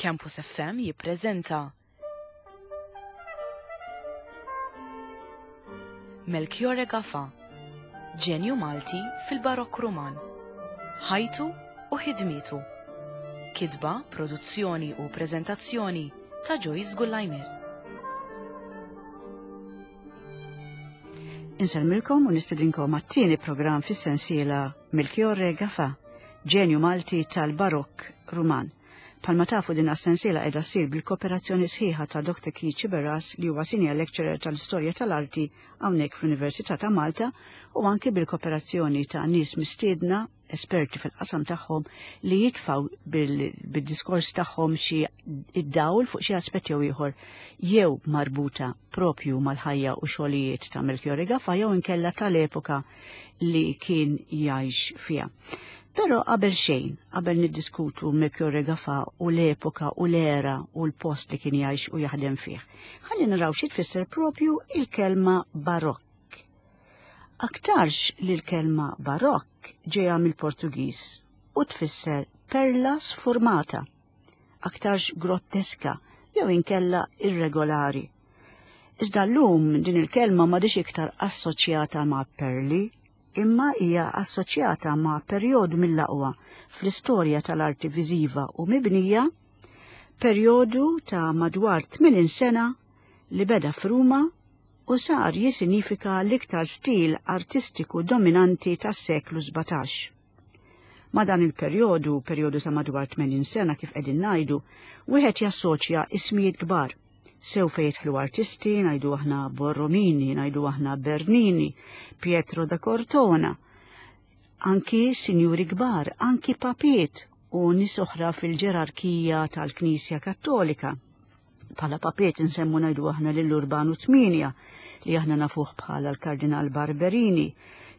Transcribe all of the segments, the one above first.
Campus FM jippreżenta Melchiorre Gafà, ġenju Malti fil-Barokk Ruman. Ħajtu u ħidmietu. Kitba, produzzjoni u preżentazzjoni ta' Joyce Gullajmir. Insellmilkom u nistedinkom għat-tieni programm fis-sensiela Melchiorre Gafà, ġenju Malti tal-Barokk Ruman. Palma tafu din as-sensiela qiegħda ssir bil-kooperazzjoni sħiħa ta' Dr. Keith Sciberras li huwa senior lecturer tal-istorja tal-arti hawnhekk fl-Università ta' Malta u anki bil-kooperazzjoni ta' nies mistiedna esperti fil-qasam tagħhom li jitfaw bil-diskors tagħhom xi id-dawl fuq xi aspett jew ieħor jew marbuta propju mal-ħajja u xogħlijiet ta' Melchiorre Gafà jew inkella tal-epoka li kien jgħix fiha. Però qabel xejn, qabel niddiskutu Melchiorre Gafà u l-epoka u l-era u l-post li kien jgħix u jaħdem fih, ħalli naraw xi tfisser propju il-kelma barokk. Aktarx li l-kelma barokk ġejja mill-Portugiż u tfisser perla sfurmata, aktarx grotteska jew inkella irregolari. Iżda llum din il-kelma m'għadhiex iktar assoċjata ma' perli, imma hija assoċjata ma' perjodu mill-aqwa fl-istorja tal-arti viżiva u mibnija, perjodu ta' madwar 80 sena li beda f'Ruma u sar jisinifika l-iktar stil artistiku dominanti tas-seklu 17. Ma' dan il-perjodu, perjodu ta' madwar 80 sena kif qegħdin ngħidu, wieħed jassoċja ismijiet kbar Sew fejn jidħlu artisti, ngħidu aħna Borromini, ngħidu aħna Bernini, Pietro da Cortona, anki sinjuri kbar, anki papiet u nies oħra fil-ġerarkija tal-Knisja Kattolika. Bħala papiet nsemmu ngħidu aħna lil Urbanu Tminja li aħna nafuh bħala l-Kardinal Barberini,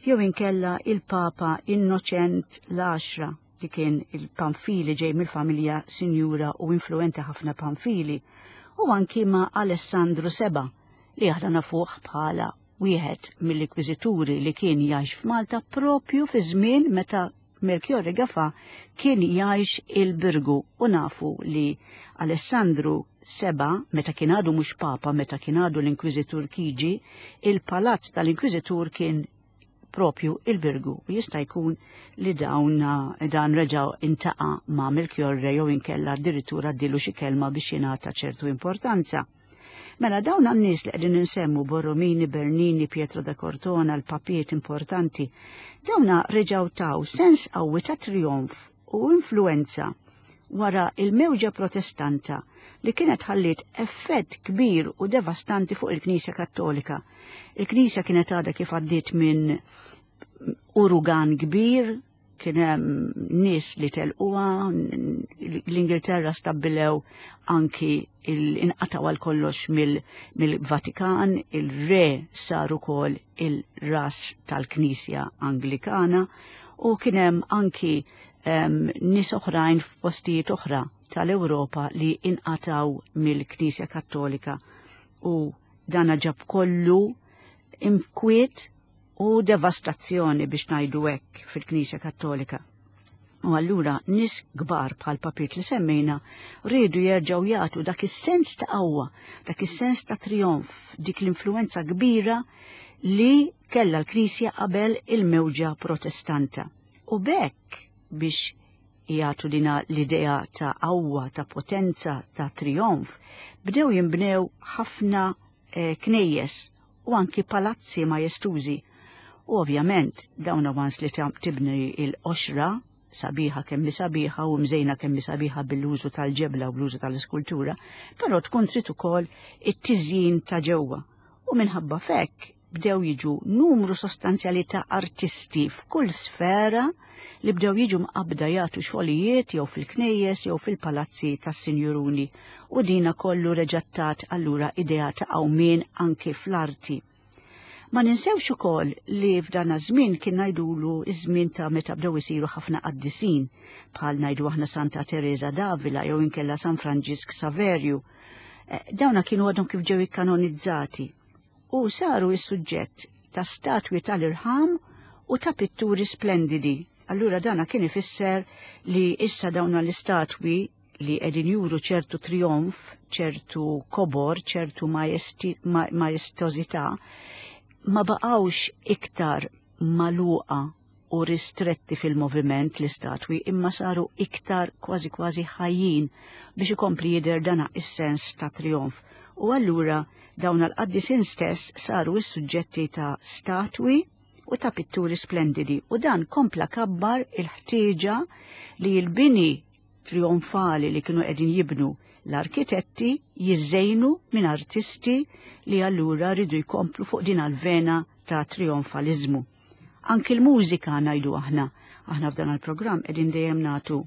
jew inkella il-Papa Innoċent l-Għaxra li kien il-Pamphili ġej mill-familja sinjura u influenti ħafna Pamphili, u anki ma' Alessandru Seba li aħna nafuh bħala wieħed mill-ikwiżituri li kien jgħix f'Malta propju fi żmien meta Melchiorre Gafà kien jgħix il-Birgu u nafu li Alessandru Seba meta kien għadu mhux papa meta kien għadu l-Inkwiżitur Chigi, il-palazz tal-Inkwiżitur kien propju il-Birgu u jista' jkun li dawn dan reġa' intaqa' ma' Melchiorre jew inkella addirittura għaddilu xi kelma biex jingħata ċertu importanza. Mela dawn għan-nies li qegħdin insemmu Borromini, Bernini, Pietro da Cortona, l-papiet importanti, dawna reġgħu taw sens qawwi ta' trionf u influenza wara il-mewġa protestanta li kienet ħalliet effett kbir u devastanti fuq il-Knisja Kattolika. Il-Knisja kienet għadha kif għaddiet minn urugan kbir, kien hemm nies li telquha, l-Ingilterra stabbilew anki inqataw għal kollox mill-Vatikan, il-re sar ukoll il-ras tal-Knisja Anglikana u kien hemm anki nies oħrajn f'postijiet oħra tal-Ewropa li inqataw mill-Knisja Kattolika u dana ġab kollu imkwiet u devastazzjoni biex ngħidu hekk fil-Knisja Kattolika. U allura nies kbar bħal papiet li semmejna riedu jerġgħu jagħtu dak is-sens ta' qawwa, dak is-sens ta' trionf, dik l-influenza kbira li kellha l-Knisja qabel il-mewġa Protestanta. U b'hekk biex jagħtu dina l-idea ta' qawwa, ta' potenza, ta' trionf, bdew jinbnew ħafna eh, knejjes u anki palazzi majestużi. U ovvjament dawn avans li tibni il-qoxra sabiħa kemm sabiħa u mżejna kemm sabiħa bil-użu tal-ġebla u bl-użu tal-iskultura, però tkun trid ukoll it-tiżjin ta' ġewwa. U minħabba fekk bdew jiġu numru sostanzjali ta' artisti f'kull sfera li bdew jiġu mqabbda jagħtu xogħlijiet jew fil-knejjes jew fil-palazzi tas-sinjuruni u dina kollu reġattat allura idea ta' qawmien anki fl-arti. Ma ninsewx ukoll li f'dan żmien kien ngħidulu iż-żmien ta' meta bdew isiru ħafna qaddisin bħal ngħidu aħna Santa Teresa d'Avila jew inkella San Franġisk Saverju. Eh, dawna kienu għadhom kif ġew ikkanonizzati u saru s-suġġett ta' statwi tal-irħam u ta' pitturi splendidi. Allura dana kien ifisser li issa dawna l-istatwi li qegħdin juru ċertu trionf, ċertu kobor, ċertu majestożità, ma baqgħux iktar magħluqa u ristretti fil-moviment l-istatwi imma saru iktar kważi kważi ħajjin biex ikompli jidher dana is-sens ta' trionf. U allura dawn l-qaddisin stess saru s-suġġetti ta' statwi u ta' pitturi splendidi u dan kompla kabbar il-ħtieġa li l-bini trionfali li kienu qegħdin jibnu l-arkitetti jiżżejnu minn artisti li allura ridu jkomplu fuq din għal-vena ta' trionfaliżmu. Anki l-mużika ngħidu aħna, aħna f'dan il-programm qegħdin dejjem nagħtu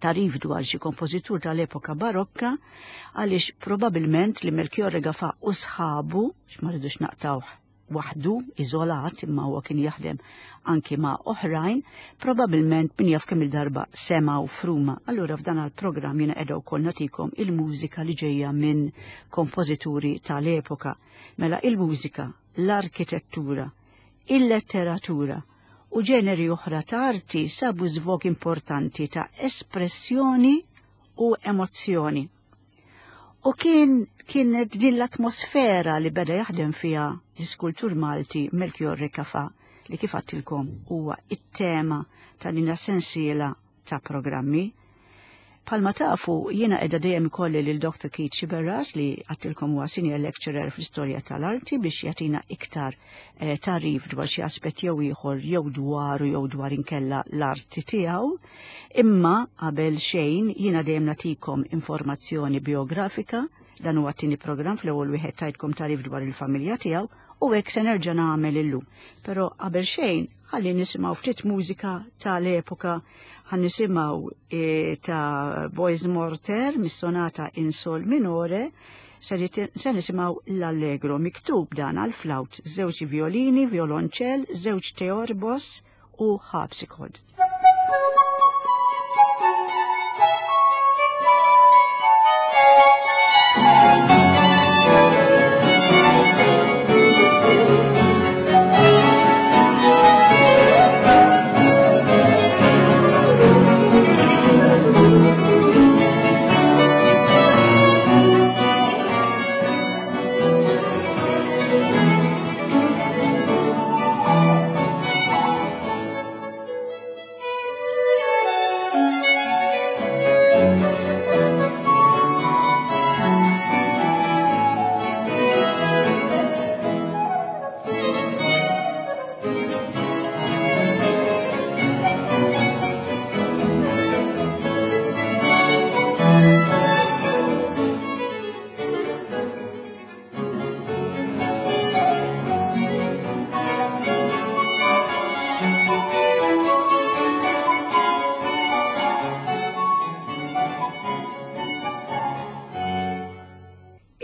tarif dwar xi kompożitur tal-epoka barokka għaliex probabilment li Melchiorre Gafà u sħabu, x'ma rridux naqtawh waħdu, iżolat, imma huwa kien jaħdem anki ma' oħrajn, probabilment min jaf kemm il-darba semgħu f'Ruma. Allura f'dan il-programm jiena qiegħda wkoll nagħtikom il-mużika li ġejja minn kompożituri tal-epoka. Mela il-mużika, l-arkitettura, il-letteratura u ġeneri oħra ta' arti sabu żvog importanti ta' espressjoni u emozzjoni. U kien kienet din l-atmosfera li beda jaħdem fiha l-iskultur Malti Melchior Recafa li kif għattilkom huwa it-tema ta' din sensiela ta' programmi. Palma tafu jiena qiegħda dejjem ikolli lil Dr. Keith Sciberras li għattilkom huwa senior lecturer fl-istorja tal-arti biex jagħtina iktar eh, tarif dwar xi aspett jew ieħor jew dwaru jew dwar inkella l-arti tiegħu. Imma qabel xejn jiena dejjem nagħtikom informazzjoni biografika dan huwa t-tieni programm fl-ewwel wieħed tajtkom tarif dwar il-familja tiegħu u hekk se nerġa' nagħmel illum. Però qabel xejn ħalli nisimgħu ftit mużika tal-epoka ħan nisimgħu e, ta' Boys Morter mis-sonata in sol minore se nisimgħu l-Allegro miktub dan għal flawt, żewġ violini, violonċell, żewġ teorbos u harpsichord.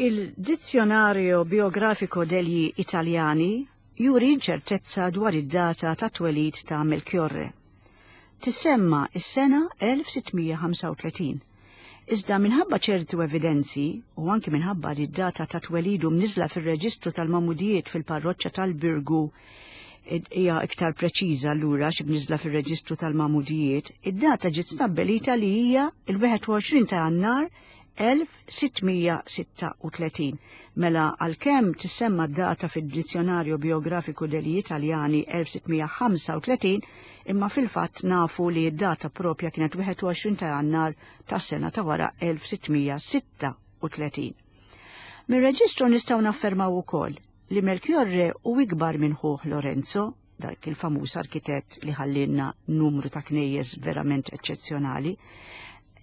Il-Dizionario Biografico degli Italiani juri ċertezza dwar id-data ta' twelid ta' Melchiorre. Tissemma is-sena 1635. Iżda minħabba ċertu evidenzi u anki minħabba li d-data ta' twelidu mniżla fir-reġistru tal-mamudijiet fil-parroċċa tal-Birgu hija iktar preċiża allura xi bniżla fir-reġistru tal-mamudijiet, id-data ġiet stabbilita li hija il-21 ta' Jannar 1636. Mela għalkemm tissemma d-data fid-Dizzjonario Biografico degli Italiani 1635, imma fil-fatt nafu li d-data propja kienet 21 ta' Jannar tas-sena ta' wara 1636. Mir-reġistru nistgħu naffermaw ukoll li Melchiorre u ikbar minn ħuh Lorenzo, dak il-famuż arkitett li ħallinna numru ta' knejjes verament eċċezzjonali.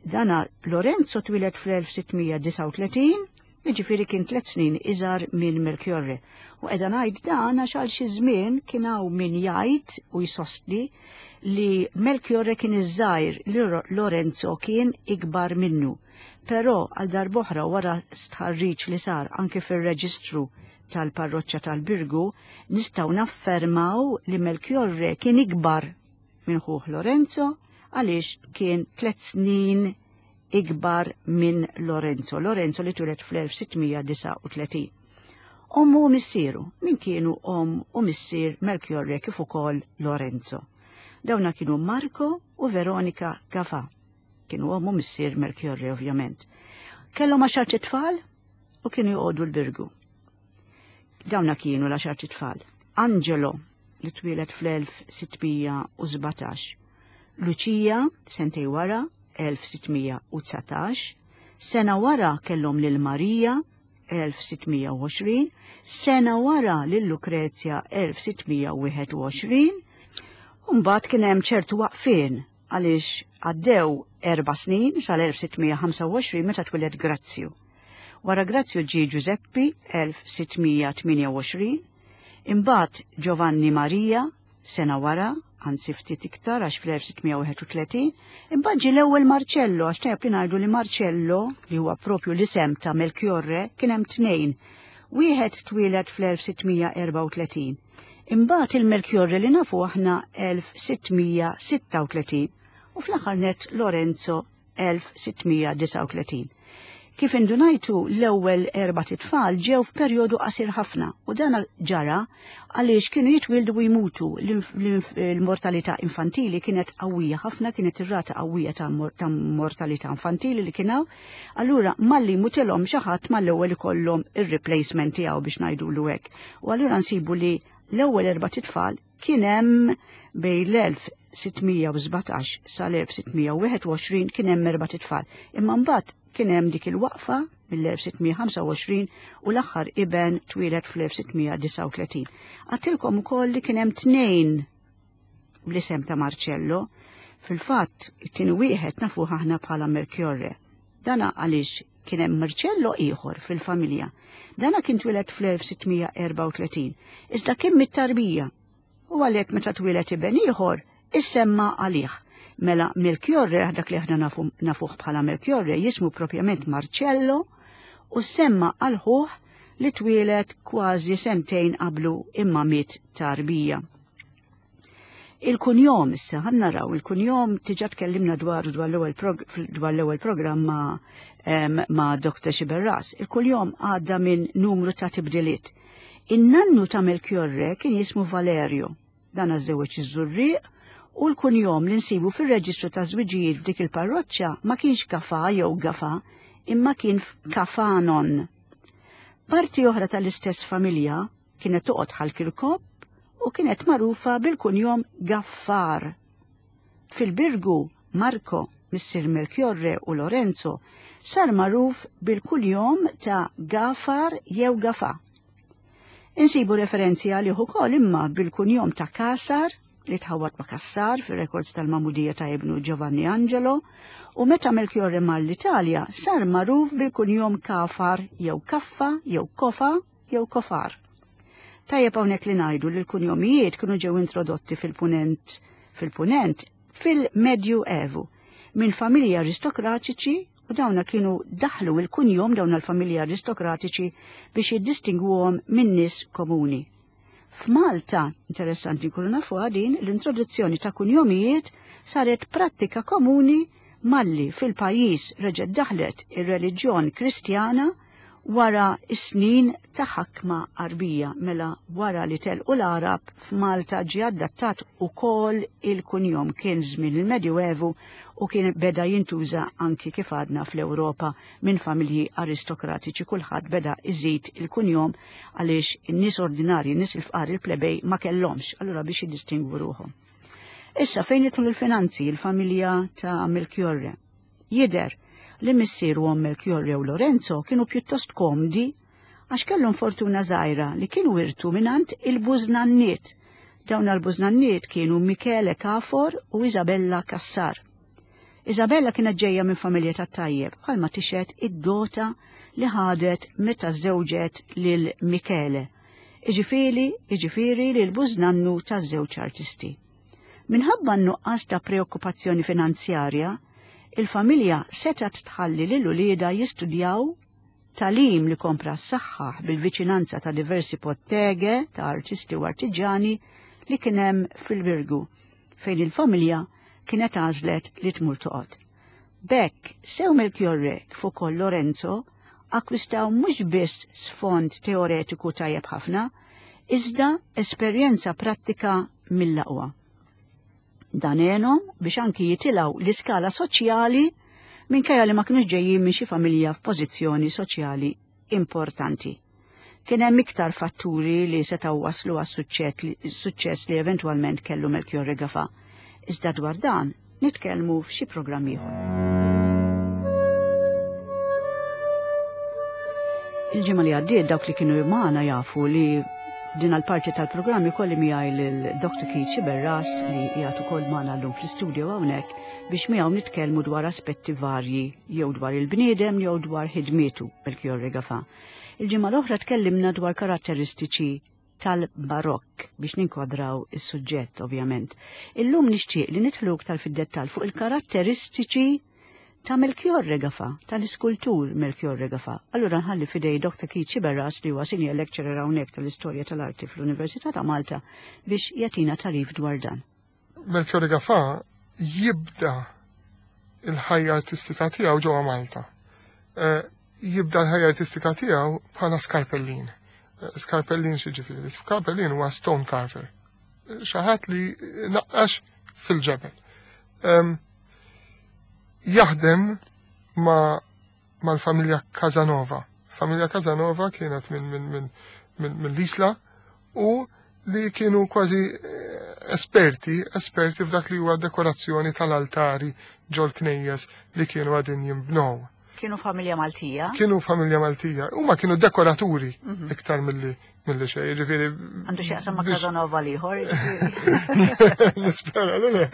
Dana Lorenzo twieled fl-1639, jiġifieri kien tliet snin iżgħar minn Melchiorre. U qiegħda ngħid dan għax għal xi żmien kien hawn min jgħid u jsostni li Melchiorre kien iż-żgħir li Lorenzo kien ikbar minnu. Però għal darb'oħra wara stħarriġ li sar anki fir-reġistru tal-parroċċa tal-Birgu, nistgħu naffermaw li Melchiorre kien ikbar minn ħuh Lorenzo għaliex kien tliet snin ikbar minn Lorenzo, Lorenzo li twieled fl-1639. Ommu u missieru, min kienu omm u missier Melchiorre kif ukoll Lorenzo. Dawna kienu Marco u Veronica Gafà. Kienu omm u missier Melchiorre ovvjament. Kellhom għaxart itfal u kienu joqogħdu l-Birgu. Dawna kienu l-għaxart itfal. Angelo, li twieled fl-1617, Lucia, sentej wara, 1619, sena wara kellhom lil Marija, 1620, sena wara lil Lukrezja 1621, u mbagħad kien hemm ċertu waqfien għaliex għaddew erba' snin sal-1625 meta twieled Grazzju. Wara Grazzju ġie Giuseppi 1628, imbagħad Giovanni Maria sena wara, anzi ftit iktar għax fl-1631, imbagħad ġie l-ewwel Marcello, għax tajjeb li ngħidu li Marcello, li huwa propju l-isem ta' Melchiorre, kien hemm tnejn. Wieħed twieled fl-1634. Imbagħad il-Melchiorre li nafu aħna 1636 u fl-aħħar nett Lorenzo 1639. Kif indunajtu l-ewwel erbat itfal ġew f'perjodu qasir ħafna u dan ġara għaliex kienu jitwieldu u jmutu. L-mortalità infantili kienet qawwija ħafna, kienet ir-rata qawwija ta' mortalità infantili li kien hawn. Allura malli jmutilhom xi ħadd mal-ewwel ikollhom ir-replacement tiegħu biex ngħidulu hekk. U allura nsibu li l-ewwel erbat itfal Kien hemm bejn l-1617 sal-1621 kien hemm erbat itfal, imma mbagħad kien hemm dik il-waqfa mill-1625 u l-aħħar iben twieled fl-1639. Għattilkom ukoll li kien hemm tnejn bl-isem ta' Marcello, fil-fatt it-tieni wieħed nafuh aħna bħala Melchiorre. Dana għaliex kien hemm Marcello ieħor fil-familja. Dana kien twieled fl-1634, iżda kien mit-tarbija u għalhekk meta twieled iben ieħor issemma għalih. Mela Melchiorre, dak li aħna nafuh bħala Melchiorre, jismu propjament Marcello u semma għal ħuh li twieled kważi sentejn qablu imma miet tarbija. Il-kunjom issa, ħa naraw, il-kunjom tiġa tkellimna dwar dwar l-ewwel programm ma', ma' Dr. Xiberras. Il-kunjom għadda minn numru ta' tibdiliet. In-nannu ta' Melchiorre kien jismu Valerio. Dan għażżewweġ iż-Żurrieq u l-kunjom li nsibu fir-reġistru ta' żwiġijiet f'dik il-parroċċa ma kienx Gafa jew Gafa, imma kien Kafanon. Parti oħra tal-istess familja Kienet toqgħod Ħal Kirkop u kienet magħrufa bil-kunjom Gaffar. Fil-Birgu, Marco, missier Melchiorre u Lorenzo, sar magħruf bil-kunjom ta' Gafar jew Gafa. Insibu referenzi għalih ukoll imma bil-kunjom ta' Kasar li tħawwad ma' Cassar fir-rekords tal-magħmudija ta' ibnu Giovanni Angelo, u meta Melchiorre mar l-Italja sar magħruf bil-kunjom Kafar jew Kaffa jew Kofa jew kofar. Tajjeb hawnhekk li ngħidu li l-kunjomijiet kienu ġew introdotti fil-punent fil-punent fil-Medju Evu minn familji aristokratiċi u dawna kienu daħlu il-kunjom dawna l-familji aristokratiċi biex jiddistingwuhom minn nies komuni. F'Malta, interessanti nkunu nafu din, l-introduzzjoni ta' kunjomijiet saret prattika komuni malli fil-pajjiż reġgħet daħlet ir-reliġjon Kristjana wara s-snin ta' ħakma Għarbija, mela wara li telqu l-Għarab f'Malta ġie adattat ukoll il-kunjom kien żmien il-Medjuevu u kien beda jintuża anki kif għadna fl-Ewropa minn familji aristokratiċi kulħadd beda iżid il-kunjom għaliex in-nies ordinarji, in-nies il-fqar il-plebej ma kellhomx, allura biex jiddistingwu ruħhom. Issa fejn jidħlu l-finanzi il-familja ta' Melchiorre. Jidher li missier u omm Melchiorre u Lorenzo kienu pjuttost komdi għax kellhom fortuna żgħira li kienu wirtu mingħand il-bużnanniet. Dawn l-bużnanniet kienu Michele Cafor u Isabella Cassar. Isabella kienet ġejja minn familja tat-tajjeb bħalma tixhed id-dota li ħadet meta żewġet lil Michele, iġifieri iġifieri lil bużnannu taż-żewġ artisti. Minħabba n-nuqqas ta' preokkupazzjoni finanzjarja, il-familja setgħet tħalli lil uliedha jistudjaw tagħlim li kompla ssaħħaħ bil-viċinanza ta' diversi pottege ta' artisti u artiġjani li kien hemm fil-Birgu, fejn il-familja kienet għażlet li tmur toqgħod. B'hekk, sew Melchiorre kif ukoll Lorenzo akkwistaw mhux biss sfond teoretiku tajjeb ħafna, iżda esperjenza prattika mill-aqwa. Dan għenhom biex anki jitilgħu l-iskala soċjali minkejja li ma kinux ġejjin minn xi familja f'pożizzjoni soċjali importanti. Kien hemm iktar fatturi li setgħu waslu għas-suċċess li eventwalment kellu Melchiorre Gafà. Iżda dwar dan nitkellmu f'xi programm ieħor. Il-ġimgħa li għaddiet dawk li kienu magħna jafu li din għal-parti tal-programm ikolli miegħi lil Dr. Keith Sciberras li qiegħed ukoll magħna llum fl-istudio hawnhekk biex miegħu nitkellmu dwar aspetti varji jew dwar il-bniedem jew dwar ħidmietu Melchiorre Gafà. Il-ġimgħa l-oħra tkellimna dwar karatteristiċi tal-Barokk biex ninkwadraw is-suġġett ovvjament. Illum nixtieq li nidħlu iktar fid-dettall fuq il-karatteristiċi ta' Melchiorre Gafà, tal-iskultur Melchiorre Gafà. Allura nħalli fidej Dr. Keith Sciberras li huwa senior lecturer hawnhekk tal-Istorja tal-Arti fl-Università ta' Malta biex jagħtina tagħrif dwar dan. Melchiorre Gafà jibda il-ħajja artistika tiegħu ġewwa Malta. Eh, jibda l-ħajja artistika tiegħu bħala skarpellin. Eh, skarpellin xi ġifieri? Skarpellin huwa stone carver. Xi ħadd li naqqax fil-ġebel. Jaħdem ma mal-familja Casanova. Familja Casanova kienet minn min, min, min, min l-Isla u li kienu kważi eh, esperti, esperti f'dak li huwa dekorazzjoni tal-altari ġol knejjes li kienu għadin jimbnow. Kienu familja Maltija? Kienu familja Maltija. Huma kienu dekoraturi mhm. iktar milli milli xejn, jiġifieri. Għandu x'jaqsam ma' Casanova l-ieħor, Nispera, le le.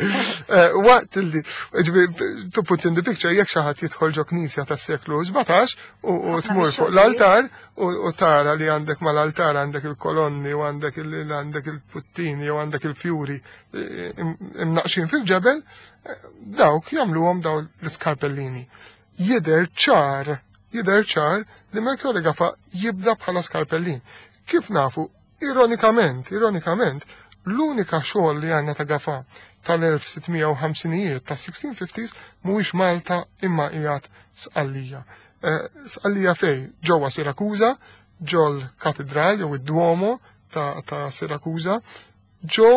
Eh, waqt li, jiġifieri, to put in the picture, jekk xi ħadd jidħol ġo knisja tas-seklu 17 u tmur fuq l-altar u tara li għandek mal-altar għandek il-kolonni u għandek għandek il-puttini u għandek il-fjuri eh, imnaqxin fil-ġebel, eh, dawk jagħmluhom daw l-iskarpellini. Jidher ċar, jidher ċar li Melchiorre Gafà jibda bħala skarpellin. Kif nafu, ironikament, ironikament, l-unika xogħol li għandna ta' Gafà tal-1650ijiet, tas-1650s, mhuwiex Malta imma qiegħed Sqallija. Eh, Sqallija fej? Ġewwa Sirakuża, ġol katedral jew id-Duomo ta', ta Sirakuża, ġo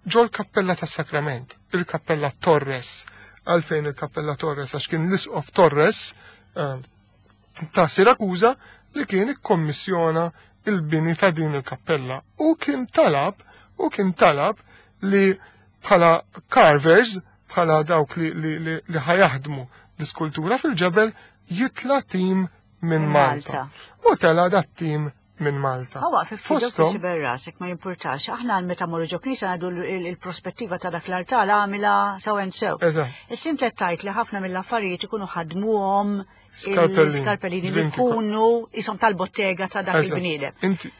ġol-Kappella tas-Sakrament, il-Kappella Torres. Għalfejn il-Kappella Torres? Għax kien l-Isqof Torres eh, ta' Sirakuża li kien ikkommissjona il-bini ta' din il-kappella u kien talab u kien talab li bħala carvers, bħala dawk li, li, li, li ħajaħdmu l-iskultura fil-ġebel jitla tim minn Malta. U tela dat tim minn Malta. Għawa, fostom. Rasek ma jimpurtax, aħna għal meta morru ġo knisa għadu il-prospettiva ta' dak l-artal għamila sew and sew. Issa inti tajt li ħafna mill-affarijiet ikunu ħadmuhom skarpellini li jkunu jisom tal-bottega ta' dak il-bniedem.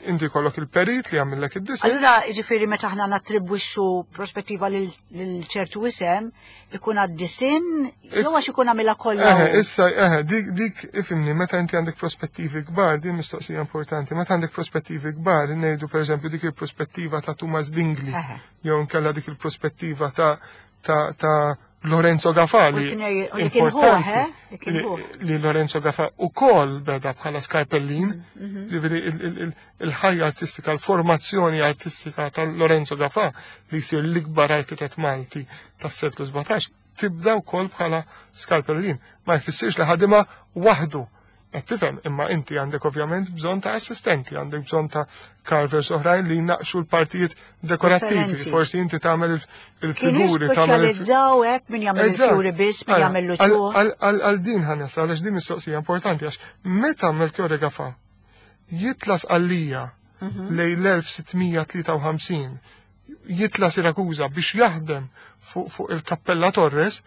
Inti kollok il-perit li għamillek id-disinn. Allura, ġifieri meta aħna nattribwixxu prospettiva lil ċertu isem, ikun għad-disinn jew għax ikun għamilha kollha. Eħe, issa, eħe, dik, dik, ifimni, meta inti għandek prospettivi kbar, din mistoqsija importanti, meta għandek prospettivi kbar, ngħidu pereżempju dik il-prospettiva ta' Tumas Dingli, jew nkella dik il-prospettiva ta' ta' ta' Lorenzo Gafà li importanti li Lorenzo Gafà ukoll beda bħala skarpellin, mhm, mhm. il-ħajja artistika, l-formazzjoni artistika ta' Lorenzo Gafà li jsir l-ikbar arkitett Malti tas-seklu 17 tibda wkoll bħala skarpellin. Ma jfissirx li ħadima waħdu. Qed tifhem, imma inti għandek ovvjament bżonn ta' assistenti, għandek bżonn ta' carvers oħrajn li jnaqxu l-partijiet dekorattivi. Forsi inti tagħmel il-figuri, tagħmel speċjalizzaw hekk min jagħmel il-fjuri biss, min jagħmel l-uċuħ. Għal din ħanesa, għaliex din mistoqsija importanti għax meta Melchiorre Gafà jitla Sqallija mhm. lejn l-1653 jitla Sirakuża biex jaħdem fuq il-Kappella Torres,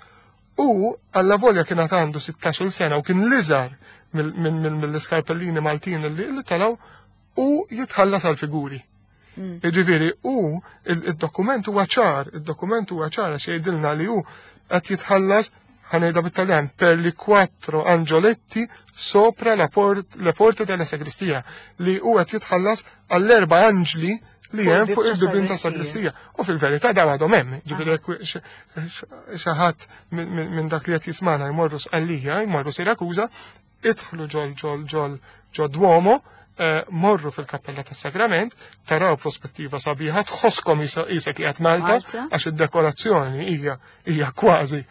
U allavolja kien għad għandu 16-il sena u kien l-iżgħar mill-iskarpellini Maltin li telgħu u jitħallas għal figuri. Mm. Jiġifieri u il-dokument huwa ċar, il-dokument huwa ċar għax jgħidilna li hu qed jitħallas ħanejda bit-Taljan per li quattro angioletti sopra la port, le porte della sagristia li hu qed jitħallas għall-erba' anġli li hemm fuq il-bibien ta' sagristija. U fil-verità daw għadhom hemm, ġifieri jekk xi ħadd minn dak li qed jismana jmorru Sqallija, jmorru Sirakuża, idħlu ġol ġol ġol ġol Duomo, Morru fil-Kappella tas-Sagrament, taraw prospettiva sabiħa, tħosskom isek qiegħed Malta, għax id-dekorazzjoni hija kważi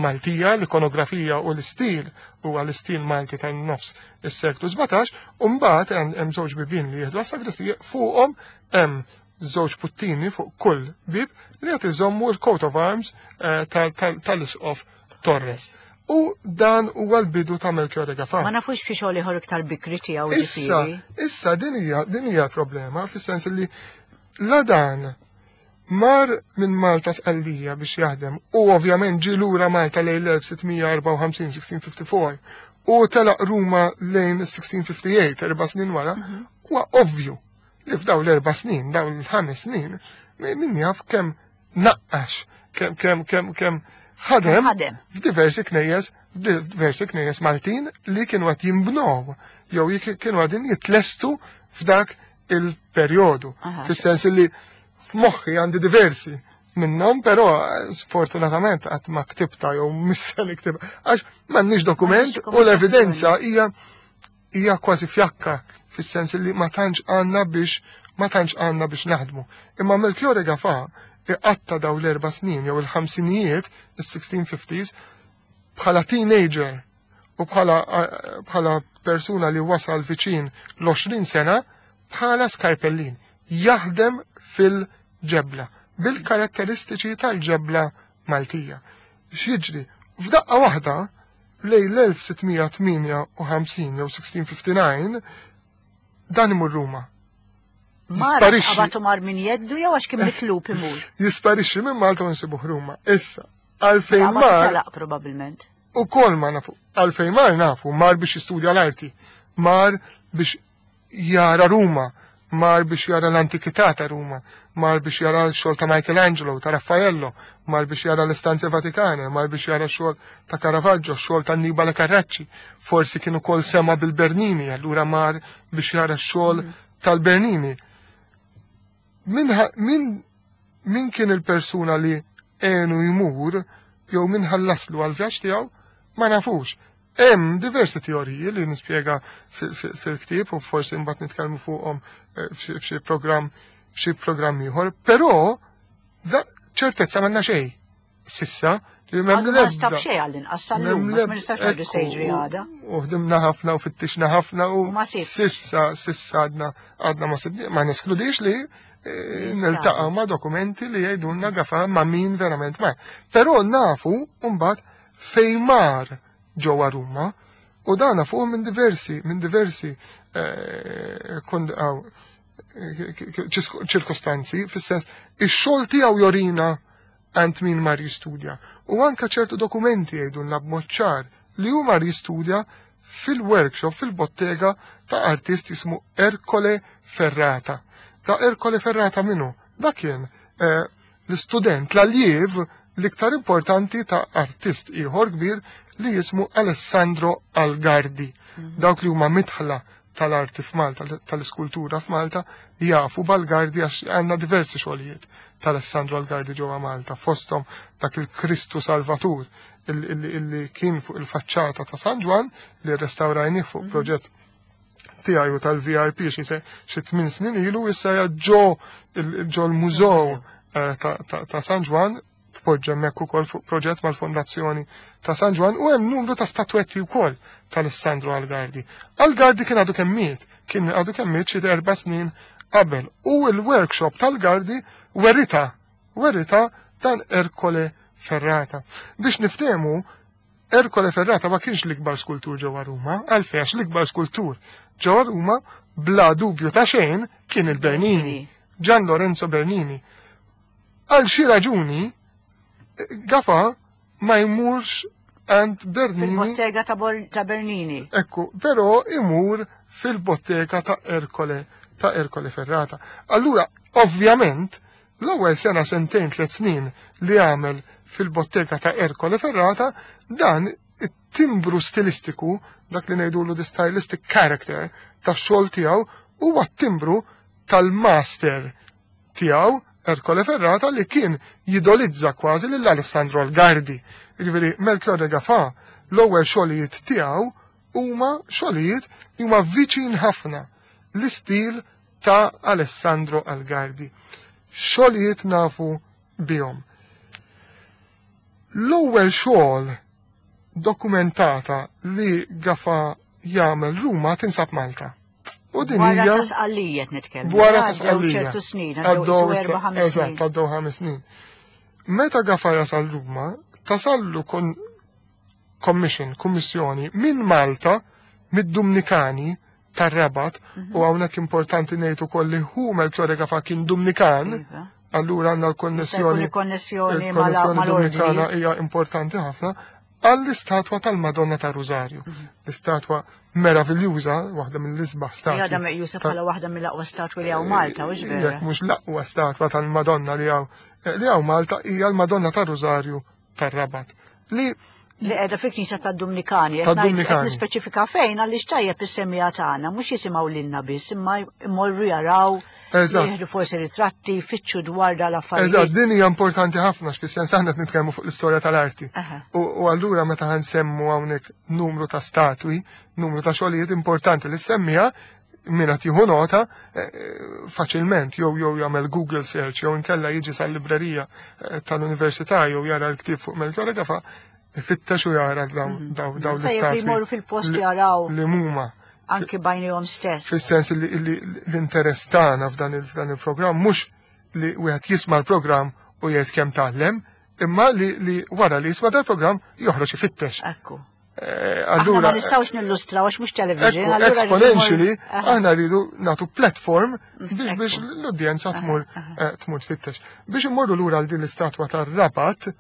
Maltija, l-ikonografija u l-istil huwa l-istil Malti tan-nofs is-seklu 17, u mbagħad hemm żewġ bibien li jieħdu għas-sagristija, fuqhom hemm żewġ puttini fuq kull bib li qed iżommu l-coat of arms tal-Isqof Torres. U dan huwa l-bidu ta' Melchiorre Gafà. Ma nafux fi xogħol ieħor iktar bikri tiegħu. Issa, issa din hija problema fis-sens li la dan mar minn Malta Sqallija biex jaħdem u ovvjament ġie lura Malta lejn l-1654, 1654 u telaq Ruma lejn 1658, 4 snin wara, huwa ovvju li f'daw l-4 snin, daw l-5 snin, min jaf kemm naqqax, kemm ħadem f'diversi knejjes, f'diversi knejjes Maltin li kienu qed jinbnew jew kienu qegħdin jitlestu f'dak il-perjodu. Fis-sens li f'moħħi għandi diversi minnhom, però sfortunatament qatt ma ktibta jew missa niktibha għax m'għandniex dokument u l-evidenza hija kważi fjakka fis-sens li ma tantx għandna biex naħdmu. Imma Melchiorre Gafà iqatta daw l-4 snin jew il-ħamsinijiet, is-1650s, bħala teenager u bħala persuna li wasal viċin l-20 sena bħala skarpellin, jaħdem fil-ġebla, bil-karatteristiċi tal-ġebla Maltija. X'jiġri? F'daqqa waħda lejn l-1658 jew 1659 dan imur Ruma. Jisparixxi. Qabatu mar min jeddu jew għax kien mitlub imur. Jisparixxi minn Malta u nsibuh Ruma. Issa, għalfejn mar. Telaq probabbilment. U kol ma nafu. Għalfejn mar nafu, mar biex jistudja l-arti, mar biex jara Ruma, mar biex jara l-antikità ta' Ruma, mar biex jara l-xogħol ta' Michelangelo, ta' Raffaello, mar biex jara l-istanze Vatikane, mar biex jara x-xogħol ta' Caravaggio, x-xogħol ta' Annibale Carracci, forsi kienu kol sema bil-Bernini, allura mar biex jara x-xogħol tal-Bernini. Min kien il-persuna li għenu jmur jew min ħallaslu għal-vjaġġ tiegħu ma nafux. Hemm diversi teoriji li nispjega fil-ktieb u forsi mbagħad nitkellmu fuqhom f'xi programm ieħor, però da ċertezza m'għandna xejn sissa li m'hemm l-ebda. Ma stab xejn għall-inqas sal-lum, ma nistax ngħidu se jiġri għada. U ħdimna ħafna u fittixna ħafna u sissa għadna ma sibni, ma neskludix li niltaqa' ma' dokumenti li jgħidulna Gafà ma' min verament mar. Però nafu mbagħad fejn mar ġewwa Ruma u dan nafuh minn diversi, minn diversi ċirkostanzi, fis-sens ix-xogħol tiegħu jorina għand min mar jistudja. U anka ċertu dokumenti jgħidulna b'mod ċar li hu mar jistudja fil-workshop, fil-bottega ta' artist jismu Ercole Ferrata. Ta' Ercole Ferrata minnu? Da kien l-istudent, l-alliev l-iktar importanti ta' artist ieħor kbir li jismu Alessandro Algardi. Dawk li huma mitħla tal-arti f'Malta, tal-iskultura f'Malta, jafu b'Algardi għax għandna diversi xogħlijiet tal-Alessandro Algardi ġewwa Malta, fosthom dak il-Kristu Salvatur illi kien fuq il-faċċata ta' San Ġwann li rrestawrajnih fuq proġett tiegħi u tal-VRP xi 8 snin ilu, issa hija ġo l-mużew ta' San Ġwann, tpoġġa hemmhekk ukoll fuq proġett mal-Fondazzjoni ta' San Ġwann, u hemm numru ta' statwetti wkoll tal-Alessandro Algardi. Algardi kien għadu kemm miet, kien għadu kemm miet xi 4 snin qabel, u l-workshop tal-Gardi werita dan Ercole Ferrata. Biex niftehmu, Ercole Ferrata ma kienx l-ikbar skultur ġewwa Ruma, għalfejn għax l-ikbar skultur ġewwa Ruma bla dubju ta' xejn kien il-Bernini, Gian Lorenzo Bernini. Għal xi raġuni Gafà ma jmurx għand Bernini. Fil-bottega ta' Bernini. Ekku, però imur fil-bottega ta' Ercole Ferrata. Allura, ovvjament, l-ewwel sena sentejn 3 snin li għamel fil-bottega ta' Ercole Ferrata, dan it-timbru stilistiku, dak li ngħidulu the stylistic character tax-xogħol tiegħu, huwa t-timbru tal-master tiegħu Ercole Ferrata li kien jidolizza kważi lil Alessandro Algardi. Jiġifieri Melchiorre Gafà l-ewwel xogħlijiet tiegħu huma xogħlijiet li huma viċin ħafna. l-istil ta' Alessandro Algardi. Xogħlijiet nafu bihom. L-ewwel xogħol dokumentata li Gafa jagħmel Ruma tinsab Malta. U din hija. Wara ta' Sqallija qed nitkellmu. Wara ta' Sqallija. ċertu snin, għaddew 4 snin. Eżatt, għaddew 5 snin. Meta Gafa jasal Ruma, tasallu kon commission, kummissjoni minn Malta, mid-Dumnikani tar-Rabat, u hawnhekk importanti ngħid ukoll li hu Melchiorre Gafa kien Dumnikan, iva. Allura għandna l-konnessjoni. Il-konnessjoni mal-Dominikana hija importanti ħafna għall-istatwa tal-Madonna ta' Rużarju. L-istatwa meraviljuża, waħda mill-isbaħ statwi. Għadha meqjusa bħala waħda mill-aqwa statwi li hawn Malta, u vera. Mhux l-aqwa statwa tal-Madonna li hawn Malta hija l-Madonna ta' Rużarju tar-Rabat. Li li qiegħda fi knisja tad-Dumnikani. Tad-Dumnikani. Nispeċifika fejn għaliex tajjeb is-semmiegħa tagħna, mhux jisimgħu lilna biss, imma jmorru jaraw. Jieħdu forsi ritratti, fitxu dwar dal-affarijiet. Eżatt, din hija importanti ħafna fis-sens aħna qed nitkellmu fuq l-istorja tal-arti. U allura meta ħansemmu hawnhekk numru ta' statwi, numru ta' xogħlijiet, importanti li semmija min qed jieħu nota faċilment jew jagħmel Google search jew inkella jiġi sal-librerija tal-università jew jara l-ktieb fuq Melchiorre Gafa, ifittex u jara daw l-istatwi. Jmorru fil-post jaraw. Li huma. Anki b'għajnejhom stess. Fis-sens li l-interess tagħna f'dan il-programm mhux li wieħed jisma' l-programm u jgħid kemm tgħallem, imma li wara li jisma' dal-programm joħroġ ifittex. Ekku. Allura ma nistgħux nillustraw għax mhux television. Exponentially, aħna rridu nagħtu platform biex l-udjenza tmur tfittex. Biex immorru lura għal din l-istatwa tar-Rabat,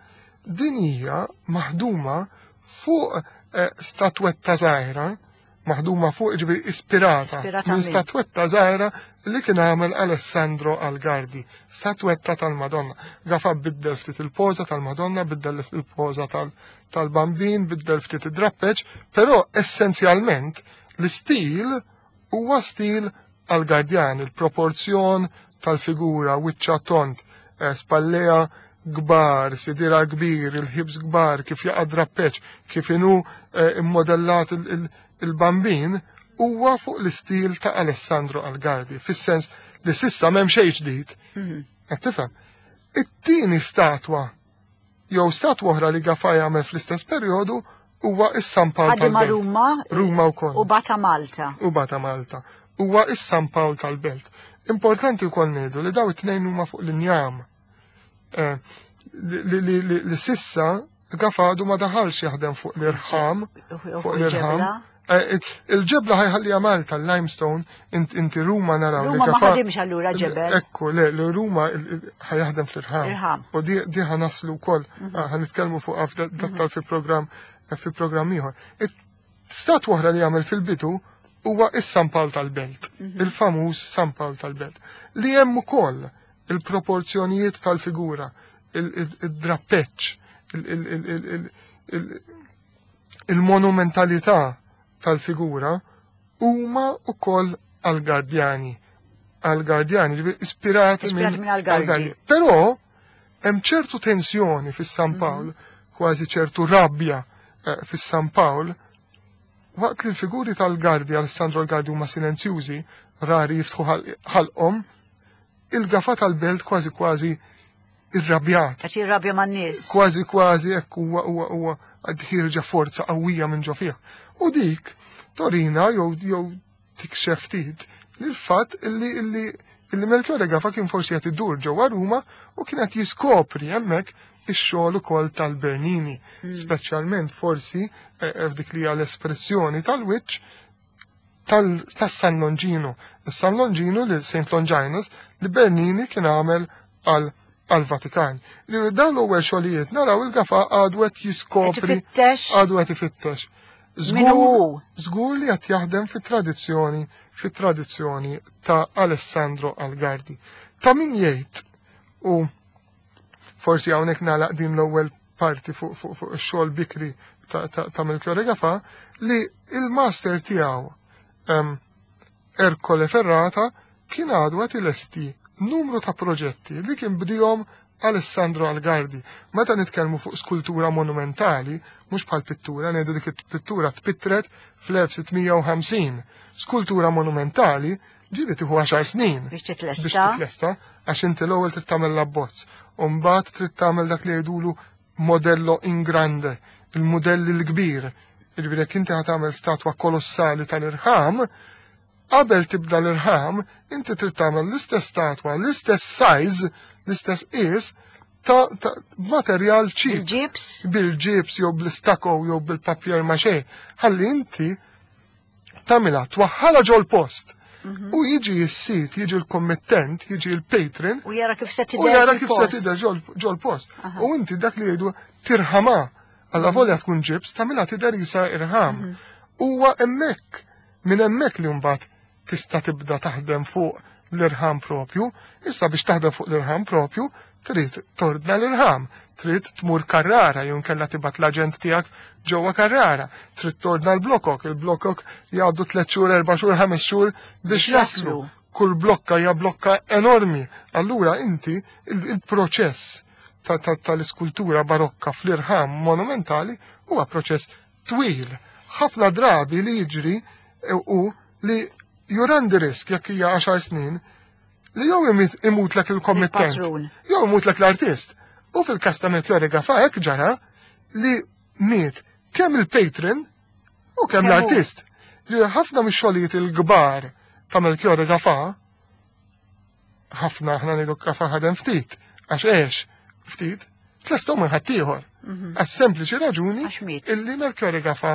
din hija maħduma fuq statwetta żgħira, maħduma fuq, ġifieri ispirata minn statwetta żgħira li kien għamel Alessandro Algardi, statwetta tal-Madonna. Gafa biddel ftit il-poża tal-Madonna, biddel il-poża tal-Bambin, biddel ftit id-drappeġ, però essenzjalment l-istil huwa stil Algardjan, il-proporzjon tal-figura, wiċċa tond, spalleja kbar, sidira kbir, il-ħibs kbar, kif jaqa' drappeġ, kif inhu immodellat il-Bambin, huwa fuq l-istil ta' Alessandro Algardi, fis-sens li s'issa m'hemm xejn ġdid. Qed tifhem? It-tieni statwa jew statwa oħra li Gafa jagħmel fl-istess perjodu huwa is-San Pawl tal-Belt. Ruma. Ruma wkoll. U bata Malta. U bata Malta. Huwa is-San Pawl tal-Belt. Importanti wkoll ngħidu li daw it-tnejn huma fuq l-injam. Li s'issa Gafa għadu ma daħalx jaħdem fuq l-irħam. Fuq l-irħam. Il-ġebla ħa jħalliha Malta, l-limestone, inti Ruma naraw. Ruma ma ħadimx allura ġebel. Ekku, le, l-Ruma ħa jaħdem fl-irħam. U di ħa naslu wkoll, ħa nitkellmu fuq dettal fi programm ieħor. Statwa oħra li jagħmel fil-bidu huwa is-San Pawl tal-Belt, il-famuż San Pawl tal-Belt, li hemm ukoll il-proporzjonijiet tal-figura, il-drappeċ, il-monumentalità tal-figura huma ukoll Algardjani. Algardjani, ispirati minn Algardi. Però hemm ċertu tensjoni fis-San Pawl, kważi ċertu rabbja fis-San Pawl, waqt li l-figuri tal-Gardi, Alessandro Algardi, huma silenzjużi, rari jiftħu ħalqhom, il-Gafa tal-Belt kważi kważi irrabjat. Għax irrabja man-nies. Kważi kważi hekk huwa ħierġa forza qawwija minn ġo fih. U dik torina jew tikxef ftit li l-fatt illi Melchiorre Gafa kien forsi qed idur ġewwa Ruma u kien qed jiskopri hemmhekk ix-xogħol ukoll tal-Bernini, speċjalment forsi f'dik li hija l-espressjoni tal-wiċċ tas-San Longino. Is-San Longino li Saint Longinus li Bernini kien għamel għal Vatikan. Li dawn l-ewwel xogħlijiet naraw il-Gafa għadu qed jiskopri, għadu qed ifittex. Żgur li qed jaħdem fit-tradizzjoni ta' Alessandro Algardi. Ta' min jgħid, u forsi hawnhekk nagħlaq din l-ewwel parti fuq ix-xogħol bikri ta' Melchiorre Gafa, li il-master tiegħu Ercole Ferrata kien għadu qed ilesti numru ta' proġetti li kien bdihom Alessandro Algardi. Meta nitkellmu fuq skultura monumentali, mhux bħal pittura, ngħidu dik it-pittura tpittret fl-1650. Skultura monumentali. Ġieli tieħu 10 snin Biex titlesta. Biex titlesta, għax inti l-ewwel trid tagħmel l-abbozz, u mbagħad trid tagħmel dak li jgħidulu modello in grande, il-mudell il-kbir. Jiġifieri jekk inti ħa tagħmel statwa kolossali tal-irħam, qabel tibda l-irħam, inti trid tagħmel l-istess statwa, l-istess size, l-istess qies ta' materjal cheap. Bil-ġibs? Bil-ġibs jew bl-istako jew bil-papier maché. Ħalli inti tagħmilha twaħħalha ġol-post. U jiġi s-sit, jiġi l-kommittent, jiġi l-patron. U jara kif se tidher. U jara kif se tidher ġol-post. U inti dak li jgħidu tirħama. Alla volja tkun ġibs, tagħmilha tidher isa irħam. Huwa hemmhekk, minn hemmhekk li mbagħad tista' tibda taħdem fuq l-irħam propju. Issa biex taħdem fuq l-irħam propju, trid tordna l-irħam, trid tmur Carrara, jew inkella tibgħat l-aġent tiegħek ġewwa Carrara, trid tordna l-blokok, il-blokok jgħaddu 3 xhur, 4 xhur, 5 xhur biex jaslu. Kull blokka hija blokka enormi. Allura inti il-proċess tal-iskultura barokka fl-irħam monumentali huwa proċess twil. Ħafna drabi li jiġri u li jurandi risk jekk hija 10 snin li jew imutlek il-kommittent, Il-patrun. jew imutlek l-artist. U fil-kas ta' Melchiorre Gafà hekk ġara li miet kemm il-patron u kemm Kemm hu. l-artist. Li ħafna mix-xogħlijiet il-kbar ta' Melchiorre Gafà, ħafna aħna ngħidu Gafà ħadem ftit, għax għex ftit, tlestew minn ħaddieħor. Għas sempliċi raġuni Għax miet. illi Melchiorre Gafà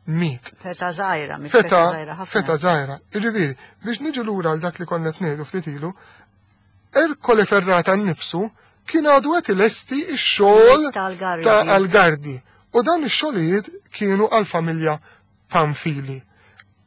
miet. Feta żgħira, miet Feta feta żgħira ħafna. Feta żgħira. Jiġifieri, biex niġu lura għal dak li konna qed ngħidu ftit ilu, Ercole Ferrata nnifsu kien għadu qed ilesti x-xogħol Ta' Algardi. ta' Algardi. U dan ix-xogħlijiet kienu għall-familja Pamphili.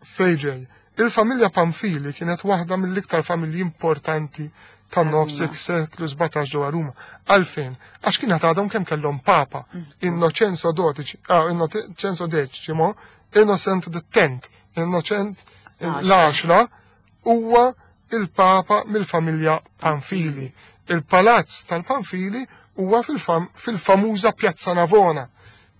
Fejġej, il-familja Pamphili kienet waħda mill-iktar familji importanti tan-nofs seklu 17 ġewwa Ruma. Għalfejn, għax kienet għadhom kemm kellhom papa, Innocenzo dodici, Innocenzo decimo, Innocent the Tenth, Innocent l-10 huwa il-papa mill-familja Pamphili. Il-palazz tal-Pamphili huwa fil-famuża Piazza Navona,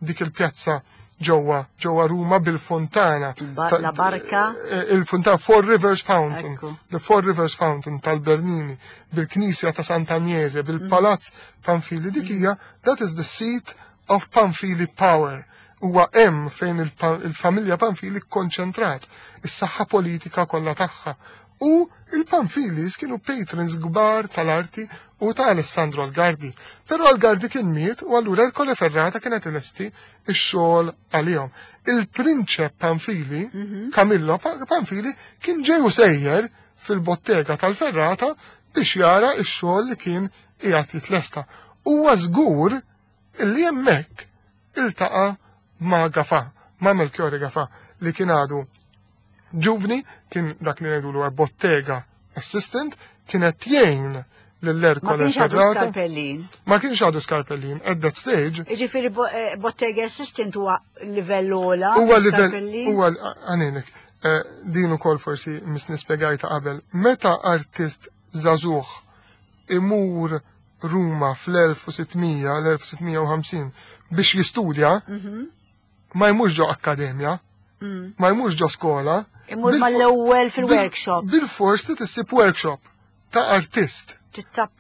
dik il-pjazza ġewwa Ruma bil-fontana. La Barca. Il-fontana Four Rivers Fountain. Ekku. The Four Rivers Fountain tal-Bernini, bil-Knisja ta' Sant'Agnese, bil-Palazz Pamphili. Dik hija, that is the seat of Pamphili power. Huwa hemm fejn il-familja Pamphili konċentrat is-saħħa politika kollha tagħha. U il-Pamfilis kienu patrons kbar tal-arti u ta' Alessandro Algardi. Però Algardi kien miet u allura Ercole Ferrata kienet ilesti x-xogħol għalihom. Il-prinċep Pamphili, Camillo Pamphili, kien ġew sejjer fil-bottega tal-Ferrata biex jara x-xogħol li kien qiegħed jitlesta. Huwa żgur illi hemmhekk iltaqa' ma' Gafà, ma' Melchiorre Gafà, li kien għadu ġuvni, kien dak li ngħidulu bottega assistant, kienet jgħin lill-Ercole Ma kienx għadu Ferrata. Scarpellin. Ma kienx għadu Scarpellin, at that stage. Jiġifieri bottega assistant huwa livell ogħla. Huwa livell, Scarpellin? huwa għaninek, din ukoll forsi mis nispjegajta qabel. Meta artist żagħżugħ imur Ruma fl-1600, l-1650 biex jistudja, ma jmurx ġo akkademja, ma jmurx ġo skola. Imur mal-ewwel fil-workshop. Bil-fors trid issib workshop ta' artist.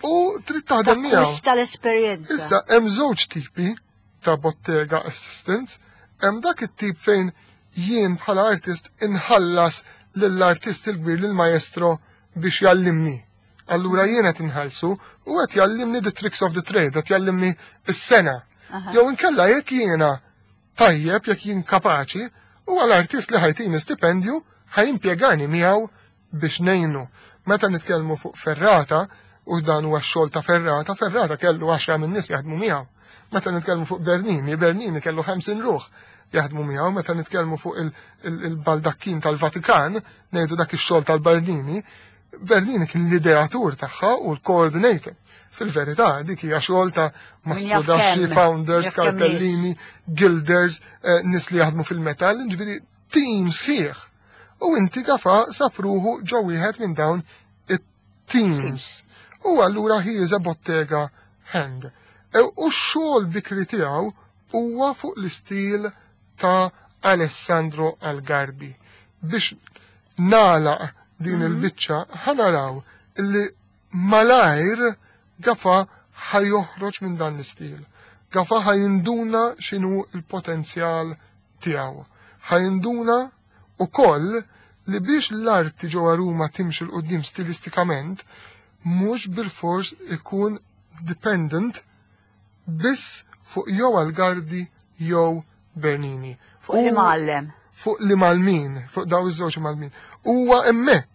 U trid taħdem miegħu. Takkwista l-esperjenza. Issa hemm żewġ tipi ta' bottega assistants, hemm dak it-tip fejn jien bħala artist inħallas lill-artist il-kbir lill-maestro biex jallimni. Allura jien qed inħallsu u qed jallimni the tricks of the trade, qed jallimni s-sena. Jew inkella jekk jiena tajjeb, jekk jien kapaċi, u għall-artist li ħa jtini stipendju ħa jimpjegani miegħu biex ngħinu. Meta nitkellmu fuq Ferrata, u dan huwa x-xogħol ta' Ferrata, Ferrata kellu 10 minn nies jaħdmu miegħu. Meta nitkellmu fuq Bernini, Bernini kellu 50 ruħ jaħdmu miegħu. Meta nitkellmu fuq il-baldakkin tal-Vatikan, ngħidu dak ix-xogħol tal-Bernini, Bernini kien l-ideatur tagħha u l-coordinator. Fil-verità, dik hija xogħol ta' Min jaf mastrodasci, kemm, founders, jaf kemm nies. Scarpellini, gilders, nies li jaħdmu fil-metall, ġifieri team sħiħ. U inti Gafà sab ruħu ġo wieħed minn dawn it-teams. U allura he is a bottega hand. U x-xogħol bikri tiegħu huwa fuq l-istil ta' Alessandro Algardi. Biex nagħlaq din il-biċċa, ħa naraw illi malajr Gafa ħa joħroġ minn dan l-istil. Gafa ħa jinduna x'inhu l-potenzjal tiegħu. Ħa jinduna ukoll li biex l-arti ġewwa Ruma timxi 'l quddiem stilistikament, mhux bilfors ikun dependent biss fuq jew Algardi jew Bernini. Fuq li mgħallem. Fuq li mgħallmin, fuq daw iż-żewġ mgħallmin. Huwa hemmhekk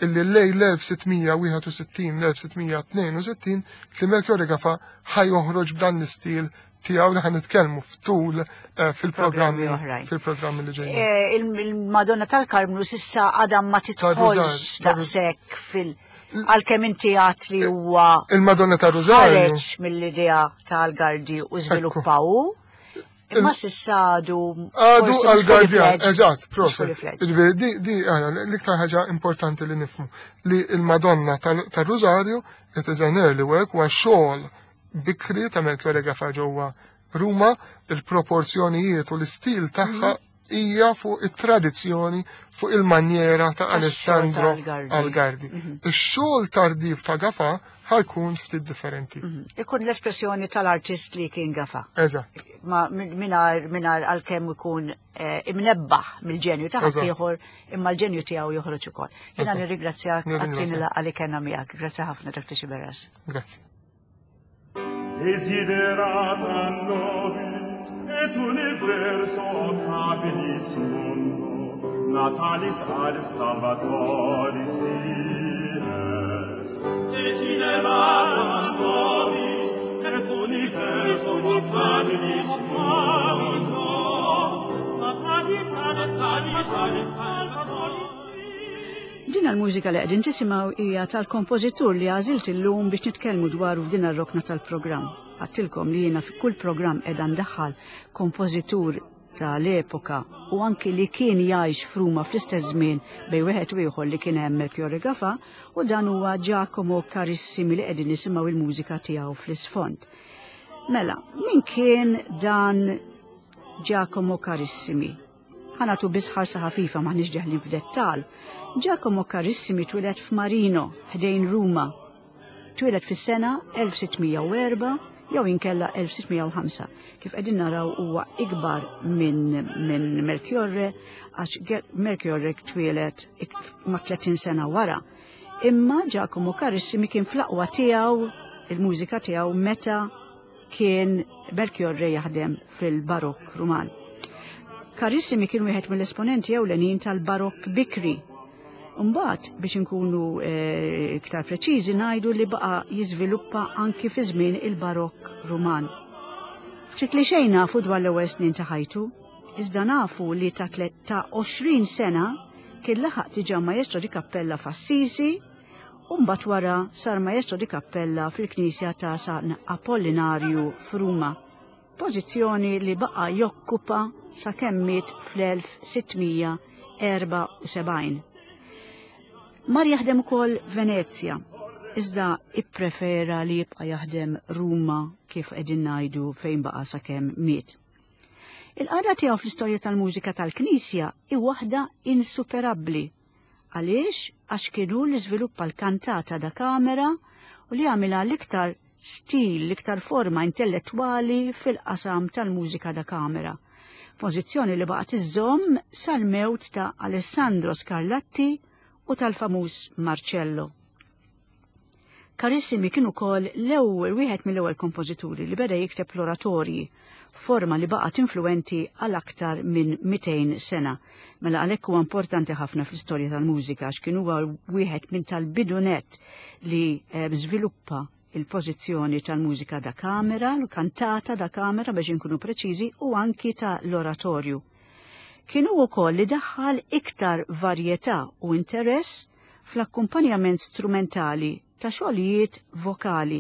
illi lej l-1661-1662 li Melchiorre Gafa ħa joħroġ b'dan l-istil tiegħu li ħan nitkellmu ftul eh, fil-programmi fil-programmi li ġejjin. Eh, il-Madonna tal-Karmnu sissa għadha ma tidħolx daqshekk fil- għalkemm inti għat li huwa Il-Madonna ta' Rużarju. Ħareġ mill-idea tal-Gardi u żviluppaw. Imma sissa għadu. Għadu għal-Gardjan, eżatt, proset. Di, di, għara, l-iktar ħaġa importanti li nifmu li il-Madonna tal-Rużarju, it is an early work, huwa xogħol bikri ta' Melchiorre Gafa ġewwa Ruma, il-proporzjonijiet u l-istil tagħha mhm. hija fuq it-tradizzjoni fuq il-manjera ta' Alessandro Algardi. Mhm. Ix-xogħol tardiv ta' Gafa ħajkun ftit differenti. Mhm. Ikun l-espressjoni tal-artist li kien Gafa. Eżatt. Ma minar minar għalkemm ikun eh, imnebbaħ mill-ġenju ta' ħaddieħor imma l-ġenju tiegħu joħroġ ukoll. Jiena nirringrazzjak għat-tieni laqgħa li kellna miegħek. Grazzi ħafna Dr. Xiberras. Grazzi. Desiderata nobis et universo habilis mundo natalis ad salvatoris dies. Desiderata nobis et universo habilis mundo natalis ad salvatoris Din l-mużika li qegħdin tisimgħu hija tal-kompożitur li għażilt illum biex nitkellmu dwaru f'din ar-rokna tal-programm. Għadtilkom li jiena fi kull programm qiegħda ndaħħal kompożitur ta' l-epoka u anki li kien jgħix f'Ruma fl-istess żmien bejn wieħed u ieħor li kien hemm Melchiorre Gafà u dan huwa Giacomo Carissimi li qegħdin nisimgħu il-mużika tiegħu fl-isfond. Mela, min kien dan Giacomo Carissimi? Ħa nagħtu biss ħarsa ħafifa m'aħniex deħlin f'dettal. Giacomo Carissimi twieled f'Marino, ħdejn Ruma. Twieled fis-sena 1604 jew inkella 1605. Kif qegħdin naraw huwa ikbar minn min Melchiorre għax Melchiorre twieled ma' 30 sena wara. Imma Giacomo Carissimi kien fl-aqwa tiegħu il-mużika tiegħu meta kien Melchiorre jaħdem fil-Barokk Ruman. Carissimi kien wieħed mill-esponenti ewlenin tal-Barokk bikri. Mbagħad biex inkunu eh, iktar preċiżi ngħidu li baqa' jiżviluppa anki fi żmien il-Barokk Ruman. Ftit li xejn nafu dwar l-ewwel snin ta' ħajtu, iżda nafu li ta' ta' 20 sena kien laħaq diġà maestro di kappella f'Assisi u mbagħad wara sar maestro di cappella fil-knisja ta' San Apollinarju f'Ruma, pożizzjoni li baqa' jokkupa sakemm miet fl-1674. Mar jaħdem ukoll Venezja, iżda ipprefera li jibqa' jaħdem Ruma kif qegħdin ngħidu fejn baqa' sakemm miet. Il-qagħda tiegħu fl-istorja tal-mużika tal-Knisja hi waħda insuperabbli. Għaliex? Għax kien hu li żviluppa l-kantata da camera u li għamilha l-iktar stil, l-iktar forma intellettwali fil-qasam tal-mużika da camera. Pożizzjoni li baqgħet iżżomm sal-mewt ta' Alessandro Scarlatti u tal-famuż Marcello. Carissimi kien ukoll l-ewwel wieħed mill-ewwel kompożituri li beda jikteb l-oratorji, forma li baqgħet influwenti għal aktar minn 200 sena. Mela għalhekk huwa importanti ħafna fl-istorja tal-mużika għax kien huwa wieħed minn tal-bidu nett li eh, żviluppa il-pożizzjoni tal-mużika da kamera, l-kantata da kamera biex inkunu preċiżi u anki ta' l-oratorju. Kien hu wkoll li daħħal iktar varjetà u interess fl-akkumpanjament strumentali ta' xogħlijiet vokali,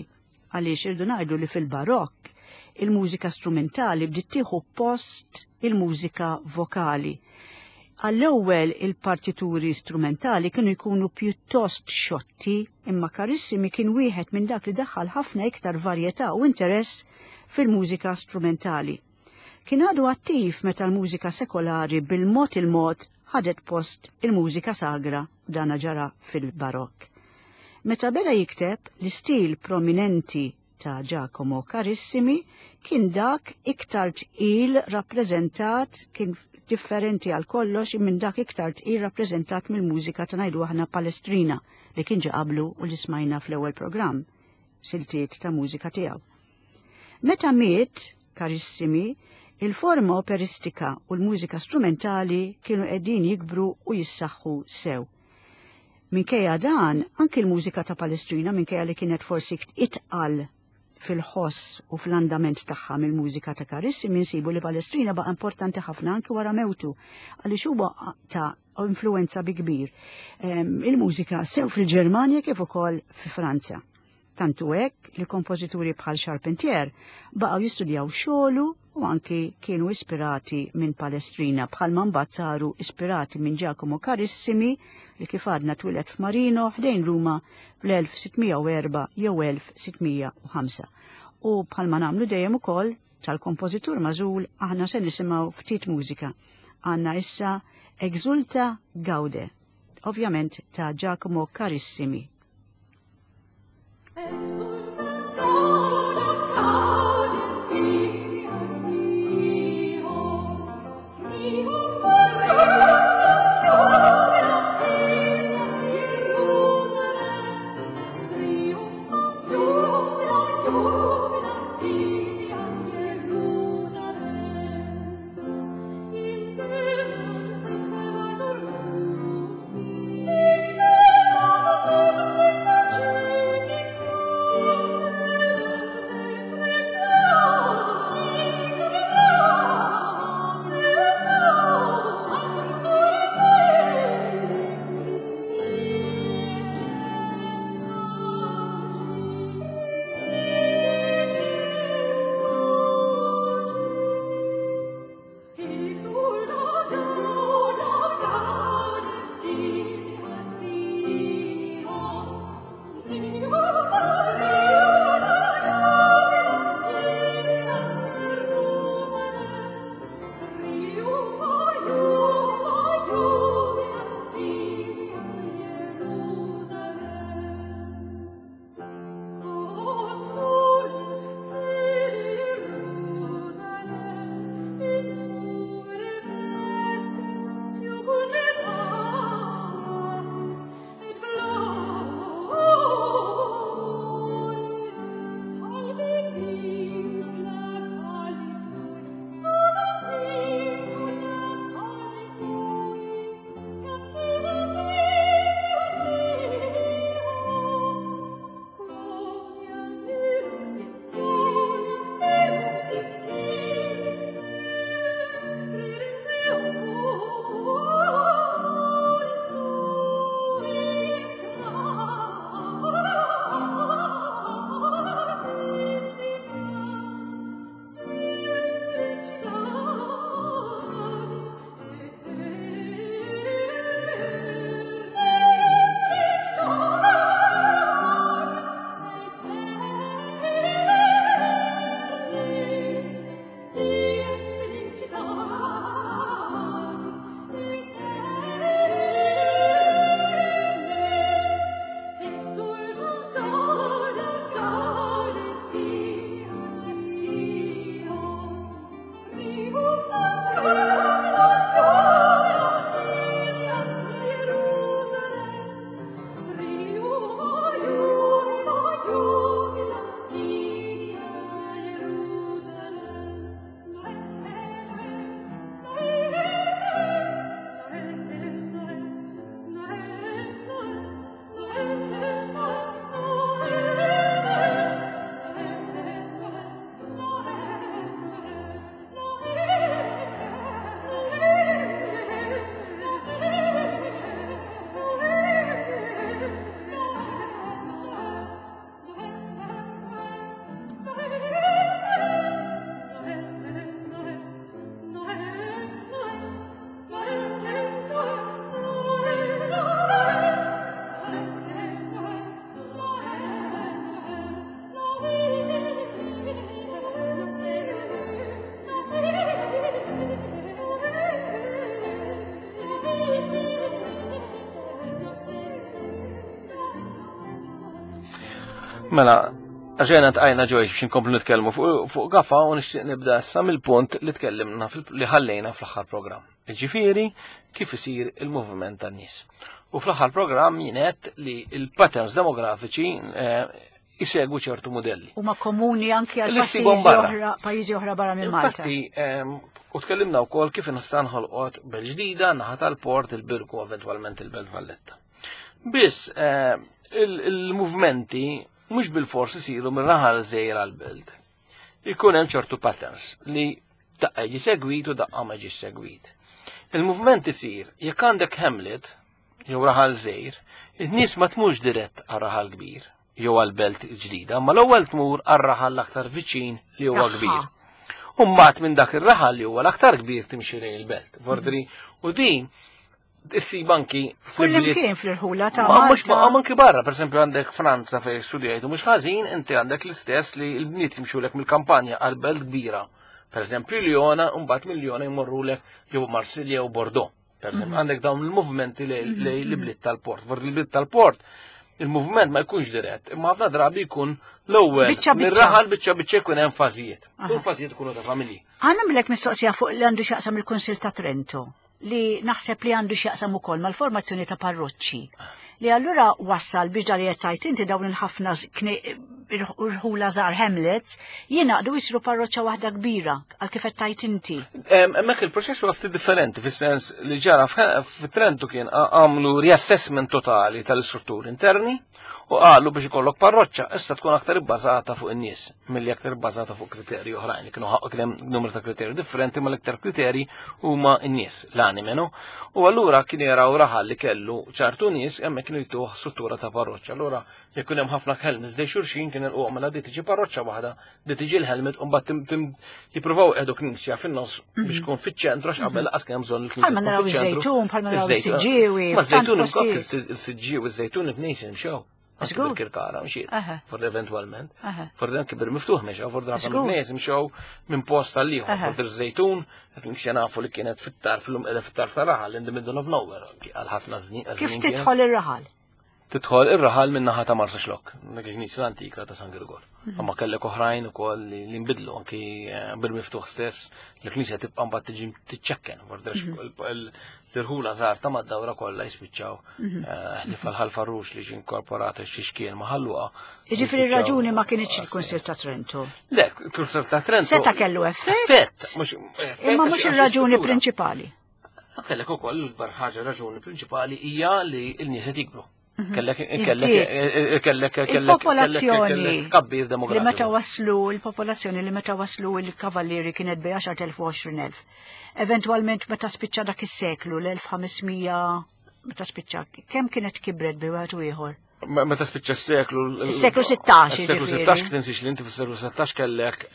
għaliex irdu ngħidu li fil-Barokk il-mużika strumentali bdiet tieħu post il-mużika vokali. Għall-ewwel il-partituri strumentali kienu jkunu pjuttost xotti, imma Carissimi kien wieħed minn dak li daħħal ħafna iktar varjetà u interess fil-mużika strumentali. Kien għadu attiv meta l-mużika sekolari bil-mod il-mod ħadet post il-mużika sagra u dana ġara fil-Barokk. Meta beda jikteb, l-istil prominenti ta' Giacomo Carissimi kien dak iktar tqil rappreżentat kien differenti għal kollox minn dak iktar tqil rappreżentat mill-mużika ta' ngħidu aħna Palestrina li kien ġa qablu u li smajna fl-ewwel programm siltiet ta' mużika tiegħu. Meta miet Carissimi, il-forma operistika u l-mużika strumentali kienu qegħdin jikbru u jissaħħu sew. Minkejja dan, anki l-mużika ta' Palestrina minkejja li kienet forsi itqal fil-ħoss u fl-andament tagħha mill-mużika ta' Carissimi nsibu li Palestrina baqa' importanti ħafna anki wara mewtu għaliex huwa ta' influenza bi kbir ehm, il-mużika sew fil-Ġermanja kif ukoll fi Franza. Tant hu hekk li kompożituri bħal Charpentier baqgħu jistudjaw xogħlu u anki kienu ispirati minn Palestrina bħalma mbagħad saru ispirati minn Giacomo Carissimi li kif għadna twieled f'Marino ħdejn Ruma fl-1604 jew 1605. U bħalma nagħmlu dejjem ukoll tal-kompożitur magħżul aħna se nisimgħu ftit mużika. Għandna issa Exulta Gaude, ovvjament ta' Giacomo Carissimi. Mela, għaxena tqajna ġoj biex nkomplu nitkellmu fuq Gafa u nixtieq nibda issa mill-punt li tkellimna li ħallejna fl-aħħar programm. Ġifieri kif isir il-moviment tan-nies. U fl-aħħar programm jien li il-patterns demografiċi eh, jisegwu ċertu modelli. Huma komuni anki għal pajjiżi oħra, pajjiżi oħra barra minn Malta. Infatti, u tkellimna wkoll kif nista' nħolqot belt ġdida, naħa tal-port, il-Birgu, eventwalment il-Belt Valletta. Biss il-movimenti mhux bil-fors isiru minn raħal żgħir għal-belt. Ikun hemm ċertu patterns li daqqa jiġi segwit u daqqa ma jiġi segwit. Il-moviment isir jekk għandek hamlet jew raħal żgħir, in-nies ma tmurx dirett għal raħal kbir jew għal belt ġdida, ma l-ewwel tmur għal raħal l-aktar viċin li huwa kbir. U mbagħad minn dak ir-raħal li huwa l-aktar kbir timxi lejn il-belt. Vordri, u din issib anki Kullimkien fl-irħula ta' Ma mhux ma anki barra, pereżempju għandek Franza fejn studjajtu mhux ħażin, inti għandek l-istess li l-bniet jimxulek mill-kampanja għal belt kbira. Pereżempju Liona, u mbagħad minn Liona jmorrulek jew Marsilja jew Bordeaux. Pereżempju, għandek dawn il-movimenti lejn l-bliet tal-port. Vor il-bliet tal-port, il-moviment ma jkunx dirett, imma ħafna drabi jkun l-ewwel Biċċa biċċa. mir-raħal biċċa biċċa jkun hemm fażijiet. U l-fażijiet ikunu ta' familji. Ħa nagħmlek mistoqsija fuq li għandu x'jaqsam il-Kunsil ta' Trento li naħseb li għandu x'jaqsam ukoll mal-formazzjoni ta' parroċċi. Li allura wassal biex dal qed inti dawn il-ħafna irħula żgħar hamlets jingħaqdu jsiru parroċċa waħda kbira għal kif qed tgħid inti. Hemmhekk il-proċess huwa ftit differenti fis-sens li ġara fit-Trentu kien għamlu riassessment totali tal-istrutturi interni u qalu biex ikollok parroċċa issa tkun aktar ibbażata fuq in-nies milli aktar ibbażata fuq kriterji oħrajn. Kienu ħaqq kien hemm numru ta' kriterji differenti, ma l-iktar kriterji huma n-nies, l-anime, no? U allura kien jaraw raħal li kellu ċertu nies hemmhekk kienu jtuh struttura ta' parroċċa. Allura jekk kien hemm ħafna hamlets ħdejn xulxin kien il mela di tiġi parroċċa waħda, di tiġi l-hamlet u mbagħad jippruvaw qiegħdu knisja fin-nofs biex tkun fiċ-ċentru għax qabel laqas kien hemm bżonn il-knisja. Bħalma tkun naraw fiċ-ċentru. iż-żejtun, bħalma naraw Iż-żejtun. is-Siġġiewi. Ma żejtun f'tant postijiet. il-Siġġiewi, iż-żejtun il-knisja mxew. Anki Żgur. bil-Kirkara mxiet. For eventualment. For anki bil-miftuħ mexew, for ħafna mill-nies mxew minn post għal ieħor. For iż-żejtun, il-knisja nafu li kienet fit-tarf, illum qiegħda fit-tarf ta' raħal, in the middle of nowhere, għal ħafna żmien. Kif tidħol ir-raħal? Tidħol ir-raħal minn naħa ta' Marsaxlokk, dik il-knisja l-antika ta' San Girgor. Imma kellek oħrajn ukoll li nbidlu anki bil-miftuħ stess, l-knisja tibqa' mbagħad tiġi tiċċekken, vordax l-irħula żgħar ta' mad-dawra kollha jispiċċaw li fal-Ħal Farrux li ġie inkorporat xi xkien ma' Ħal Luqa. Jiġifieri raġuni ma kienx il-Kunsil ta' Trento. Le, il-Kunsil ta' Trento. Seta kellu effett. Effett, mhux Imma mhux għax ir-raġuni struttura. prinċipali. Kellek ukoll l-ikbar ħaġa raġuni prinċipali hija li l-nies qed jikbru. Kellek kellek Iżdied. kellek kellek Il-popolazzjoni kellek tkabbir li demografiku. meta waslu il-popolazzjoni li meta waslu il-kavallieri kienet bejn 10,000 u 20,000. Eventualment meta spiċċa dak is-seklu l-1500 meta spiċċa kemm kienet kibret bejn wieħed u ieħor? Meta spiċċa s-seklu. Is-seklu 16, Is-seklu jiġifieri. 16 tinsiex li inti fis-seklu 16 kellek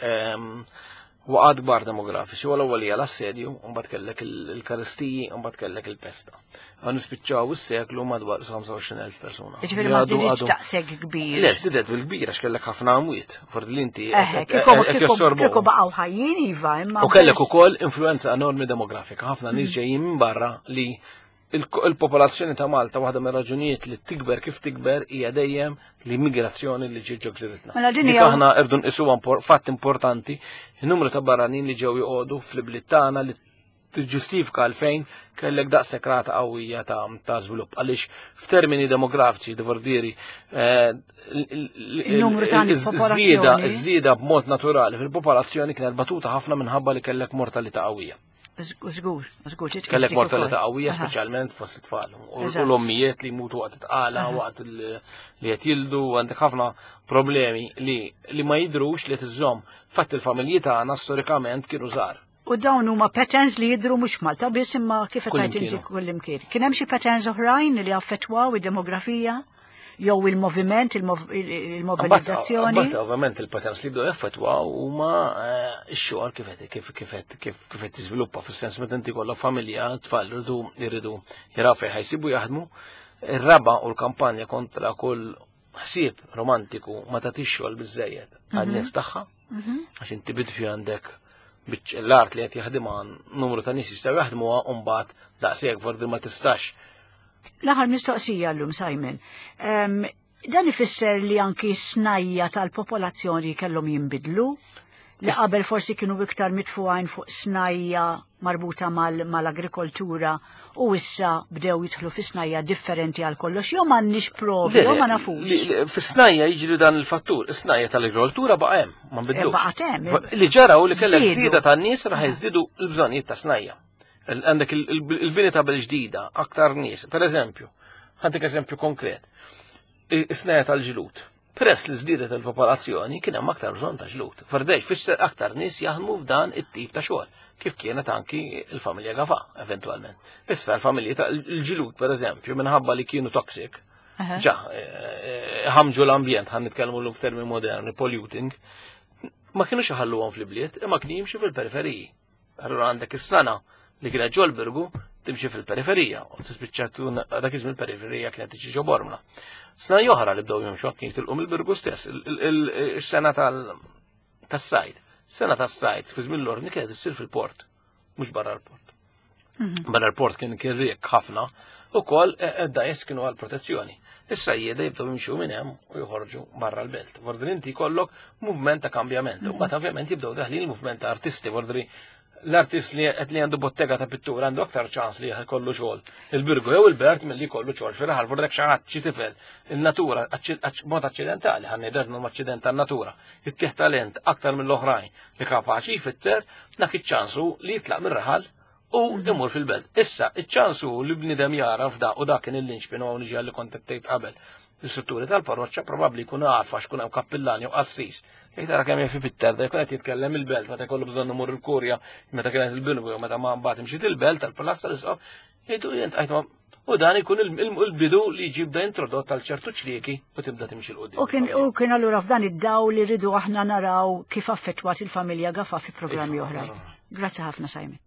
waqgħat kbar demografiċi, u l-ewwel hija l-assedju, u mbagħad kellek il-karistiji, u mbagħad kellek il-pesta. Għan nispiċċaw is-seklu madwar 25,000 persuna. Jiġifieri ma Li żdiedx għadu daqshekk kbir. Le, żdiedet bil-kbir għax kellek ħafna amwiet. Fordi li inti Eħe, qed kieku jassorbu. kieku baqgħu ħajjin iva, imma U kellek pers- ukoll influenza enormi demografika, ħafna nies ġejjin minn barra li il-popolazzjoni ta' Malta waħda mir raġunijiet li tikber kif tikber hija dejjem l-immigrazzjoni li ġiet ġo gżiritna. Mela din Dik hija- aħna rridu nqisuha fatt importanti, il-numru ta' barranin li ġew joqogħdu fl-ibliet tagħna li tiġġustifika għalfejn kellek daqshekk rata qawwija ta' żvilupp. Għaliex f'termini demografiċi, divordiri, Il-numru ta' popolazzjoni. iż-żieda b'mod naturali fil-popolazzjoni kienet batuta ħafna minħabba li kellek mortalità qawwija. Żgur, żgur, titqis Kellek dik mortalità ukoll. qawwija speċjalment fost it-tfal. U Eżatt. l-ommijiet li jmutu waqt it-tqala, waqt li qed jildu, għandek ħafna problemi li ma jidrux li tiżżomm. Fatt il-familji tagħna storikament kienu żgħar. U dawn huma patterns li jidru mhux f'Malta biss imma kif qed Kull tgħid inti imkien. kullimkien. Kien hemm xi patterns oħrajn li affettwaw id-demografija jew il-moviment, il-mobilizzazzjoni? Mbagħad ovvjament il-patterns li bdew jaffettwaw huma x-xogħol kif qed kif kif qed kif kif qed tiżviluppa fis-sens meta inti kollha familja, tfal jridu jaraw fejn ħajsibu jaħdmu. Ir-raba u l-kampanja kontra kull ħsieb romantiku ma tagħtix xogħol biżejjed għan-nies tagħha. Għax inti bidfi għandek biċ l-art li qed jaħdimha numru ta' nies jistgħu jaħdmuha u mbagħad daqshekk forsi ma tistax. L-aħħar mistoqsija llum, Simon. Dan ifisser li anki snajja tal-popolazzjoni kellhom jinbidlu li qabel forsi kienu iktar mitfugħin fuq snajja marbuta mal-agrikoltura u issa bdew jidħlu fi snajja differenti għal kollox, jew m'għandniex provi, jew ma nafux. Fis-snajja jiġri dan il-fattur, is-snajja tal-agrikoltura baqa' hemm, ma nbidlux. Eh, baqa' hemm. Li ġara u li kellek żieda tan-nies raħ jiżdiedu l-bżonnijiet ta' snajja. Għandek il-bini ta' ġdida, aktar nies. Per eżempju, għandek eżempju konkret. Is-snajja tal-ġlud. Peress li żdiedet il-popolazzjoni kien hemm aktar bżonn ta' ġlud. Ferdej fisser aktar nies jaħdmu f'dan it-tip ta' xogħol, kif kienet anki il-familja Gafa, eventwalment. Issa l-familji ta' l-ġlud, per eżempju, minħabba li kienu toxic, ġa, eh, eh, ħamġu l-ambjent, ħan nitkellmu l f'termini moderni, polluting, ma kienux iħalluhom fl-ibliet, imma kienu jimxu fil-periferiji. Allura għandek is-sana li kienet ġol-Birgu timxi fil-periferija u tispiċċa tkun dak iż-żmien il-periferija kienet tiġi ġo Bormla. Sena oħra li bdew jimxu kien jitilqu mill-Birgu stess, is-sena tas-sajd. Sena tas-sajd fi żmien l-ordni kienet issir fil-port, mhux barra l-port. Mhm. Barra l-port kien kien riek ħafna, ukoll e, e, id-dajes kienu għal protezzjoni. Issa jieda jibdew jimxu minn hemm u joħorġu barra l-belt. Vordri inti jkollok movement ta' kambjament. U mbagħad ovvjament jibdew daħlin il-movement ta' artisti, vordri l-artist li qed li għandu bottega ta' pittura għandu aktar ċans li jkollu xogħol il-Birgu jew il-Bert milli jkollu xogħol fir-raħal vordrek xi ħadd xi tifel in-natura mod aċċidentali ħa ngħidu aċċident tan-natura ittieħ talent aktar mill-oħrajn li kapaċi jfitter dak iċ-ċansu li jitlaq mir-raħal u mhm. imur fil-belt. Issa, iċ-ċansu li bnidem jara f'da u dak kien il-linċpin u niġi għalli kont tgħid qabel. L-istrutturi tal-parroċċa probabbli jkun għarfa x'kun hemm kappillani u qassis. Jekk tara kemm jafi pitter, da jkun qed jitkellem il-belt meta jkollu bżonn imur il-kurja, meta kienet il-binwi u meta ma mbagħad imxiet il-belt tal-palazz tal-isqof, jgħidu jent għajt U dan ikun il-bidu li jġib da introdott għal ċertu ċlieki u tibda timxi l-qudiem. U kien u kien allura f'dan id-dawl li rridu aħna naraw kif affettwat il-familja Gafa fi programmi iva, oħrajn. Grazzi ħafna Simon.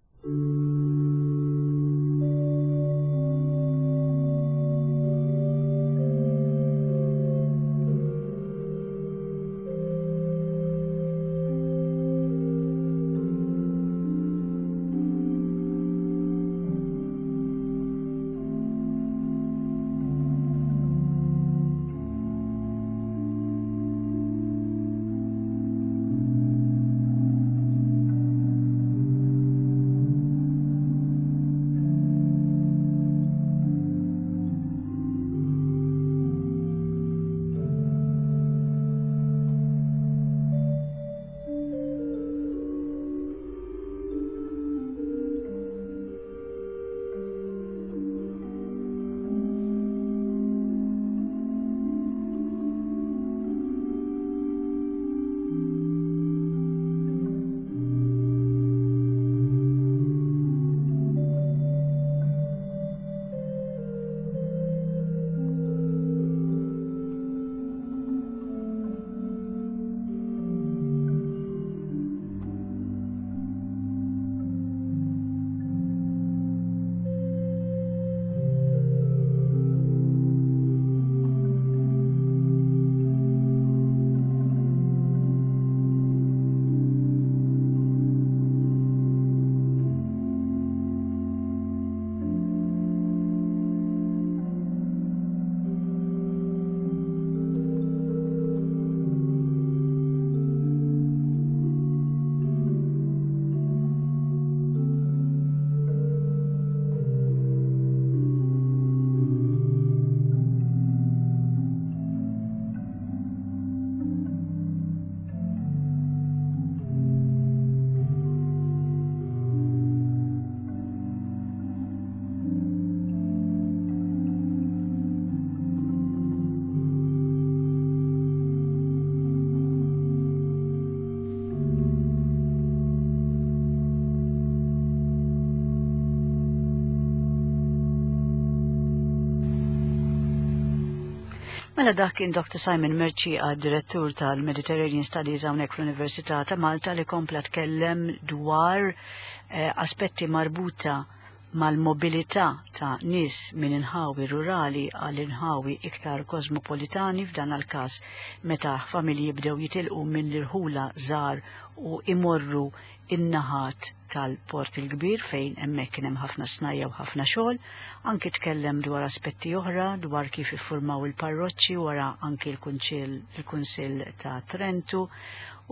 Mela dak kien Dr. Simon Mercieca, direttur tal-Mediterranean Studies hawnhekk fl-Università ta' Malta li kompla tkellem dwar eh, aspetti marbuta mal-mobilità ta' nies minn inħawi rurali għal inħawi iktar kosmopolitani f'dan għal-każ meta familji bdew jitilqu minn l-irħula żgħar u imorru in-naħat tal-Port il-Kbir fejn hemmhekk kien hemm ħafna snajja u ħafna xogħol, anki tkellem dwar aspetti oħra dwar kif iffurmaw il-parroċċi wara anki l-Kunċill il-Kunsill ta' Trentu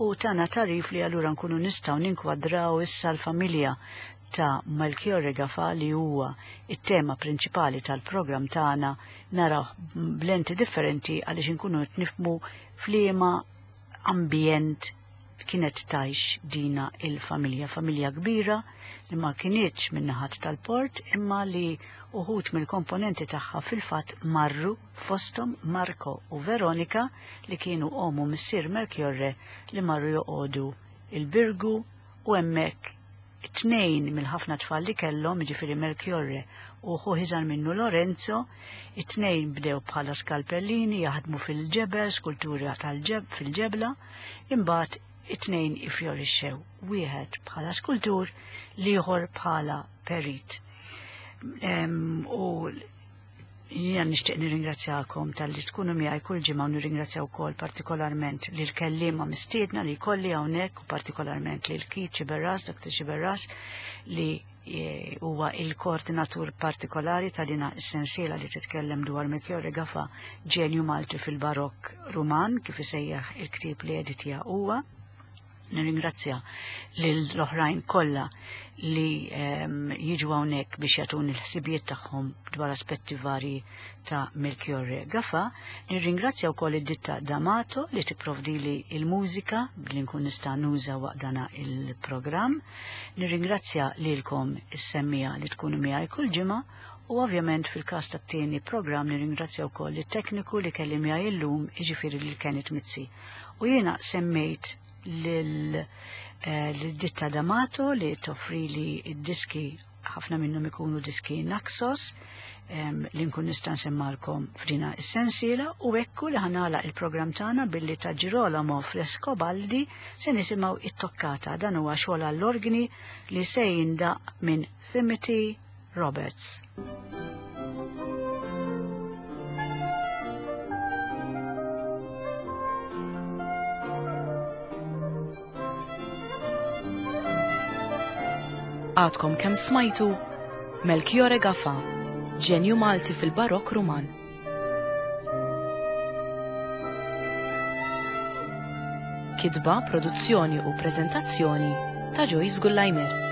u tana tagħrif li allura nkunu nistgħu ninkwadraw issa l-familja ta' Melchiorre Gafà li huwa it-tema prinċipali tal-programm tagħna narawh b'lenti differenti għaliex inkunu qed nifhmu f'liema ambjent kienet tgħix dina il-familja, familja kbira li ma kinitx min-naħat tal-port imma li uħud mill-komponenti tagħha fil-fatt marru fosthom Marco u Veronica li kienu omm u missier Melchiorre li marru joqogħdu il-Birgu u hemmhekk Tnejn mill-ħafna tfal li kellhom, jiġifieri Melchiorre u ħuh iżgħar minnu Lorenzo, it-tnejn bdew bħala skalpellini jaħdmu fil-ġebel, skultura tal-ġeb fil-ġebla, imbagħad it-tnejn iffjorixxew, wieħed bħala skultur, l-ieħor bħala perit. U Jiena nixtieq nirringrazzjakom talli tkunu miegħi kull ġimgħa u nirringrazzja wkoll partikolarment lil kelliema mistiedna li jkolli hawnhekk u partikolarment lil Keith Sciberras, Dr. Sciberras, li e, huwa il-koordinatur partikolari ta' dina s-sensiela li titkellem dwar Melchiorre Gafà, ġenju Malti fil-Barokk Ruman, kif isejjaħ il-ktieb li editja huwa. Nirringrazzja lill-oħrajn kollha li ehm, jiġu hawnhekk biex jagħtuni l-ħsibijiet tagħhom dwar aspetti varji ta' Melchiorre Gafà. Nirringrazzja wkoll id-ditta D'Amato li tipprovdili il-mużika li nkun nista' nuża waqt dana il-programm. Nirringrazzja lilkom is-semmija li tkunu miegħi kull ġimgħa u ovvjament fil-każ tat-tieni programm nirringrazzja wkoll it-tekniku li kelli miegħi illum jiġifieri lil Kenneth Mizzi. U jiena semmejt lil eh, ditta D'Amato li toffrili id-diski ħafna minnhom ikunu diski Naxos li nkun nista' nsemmalkom f'dina is-sensiela u ekku li ħanala il-programm tagħna billi ta' Girolamo Frescobaldi se nisimgħu it-toccata dan huwa xogħol għall-organi li se jindaq minn Timothy Roberts. Għadkom kemm smajtu Melchiorre Gafà, ġenju Malti fil-Barokk Ruman. Kitba, produzzjoni u preżentazzjoni ta' Joyce Gullajmer.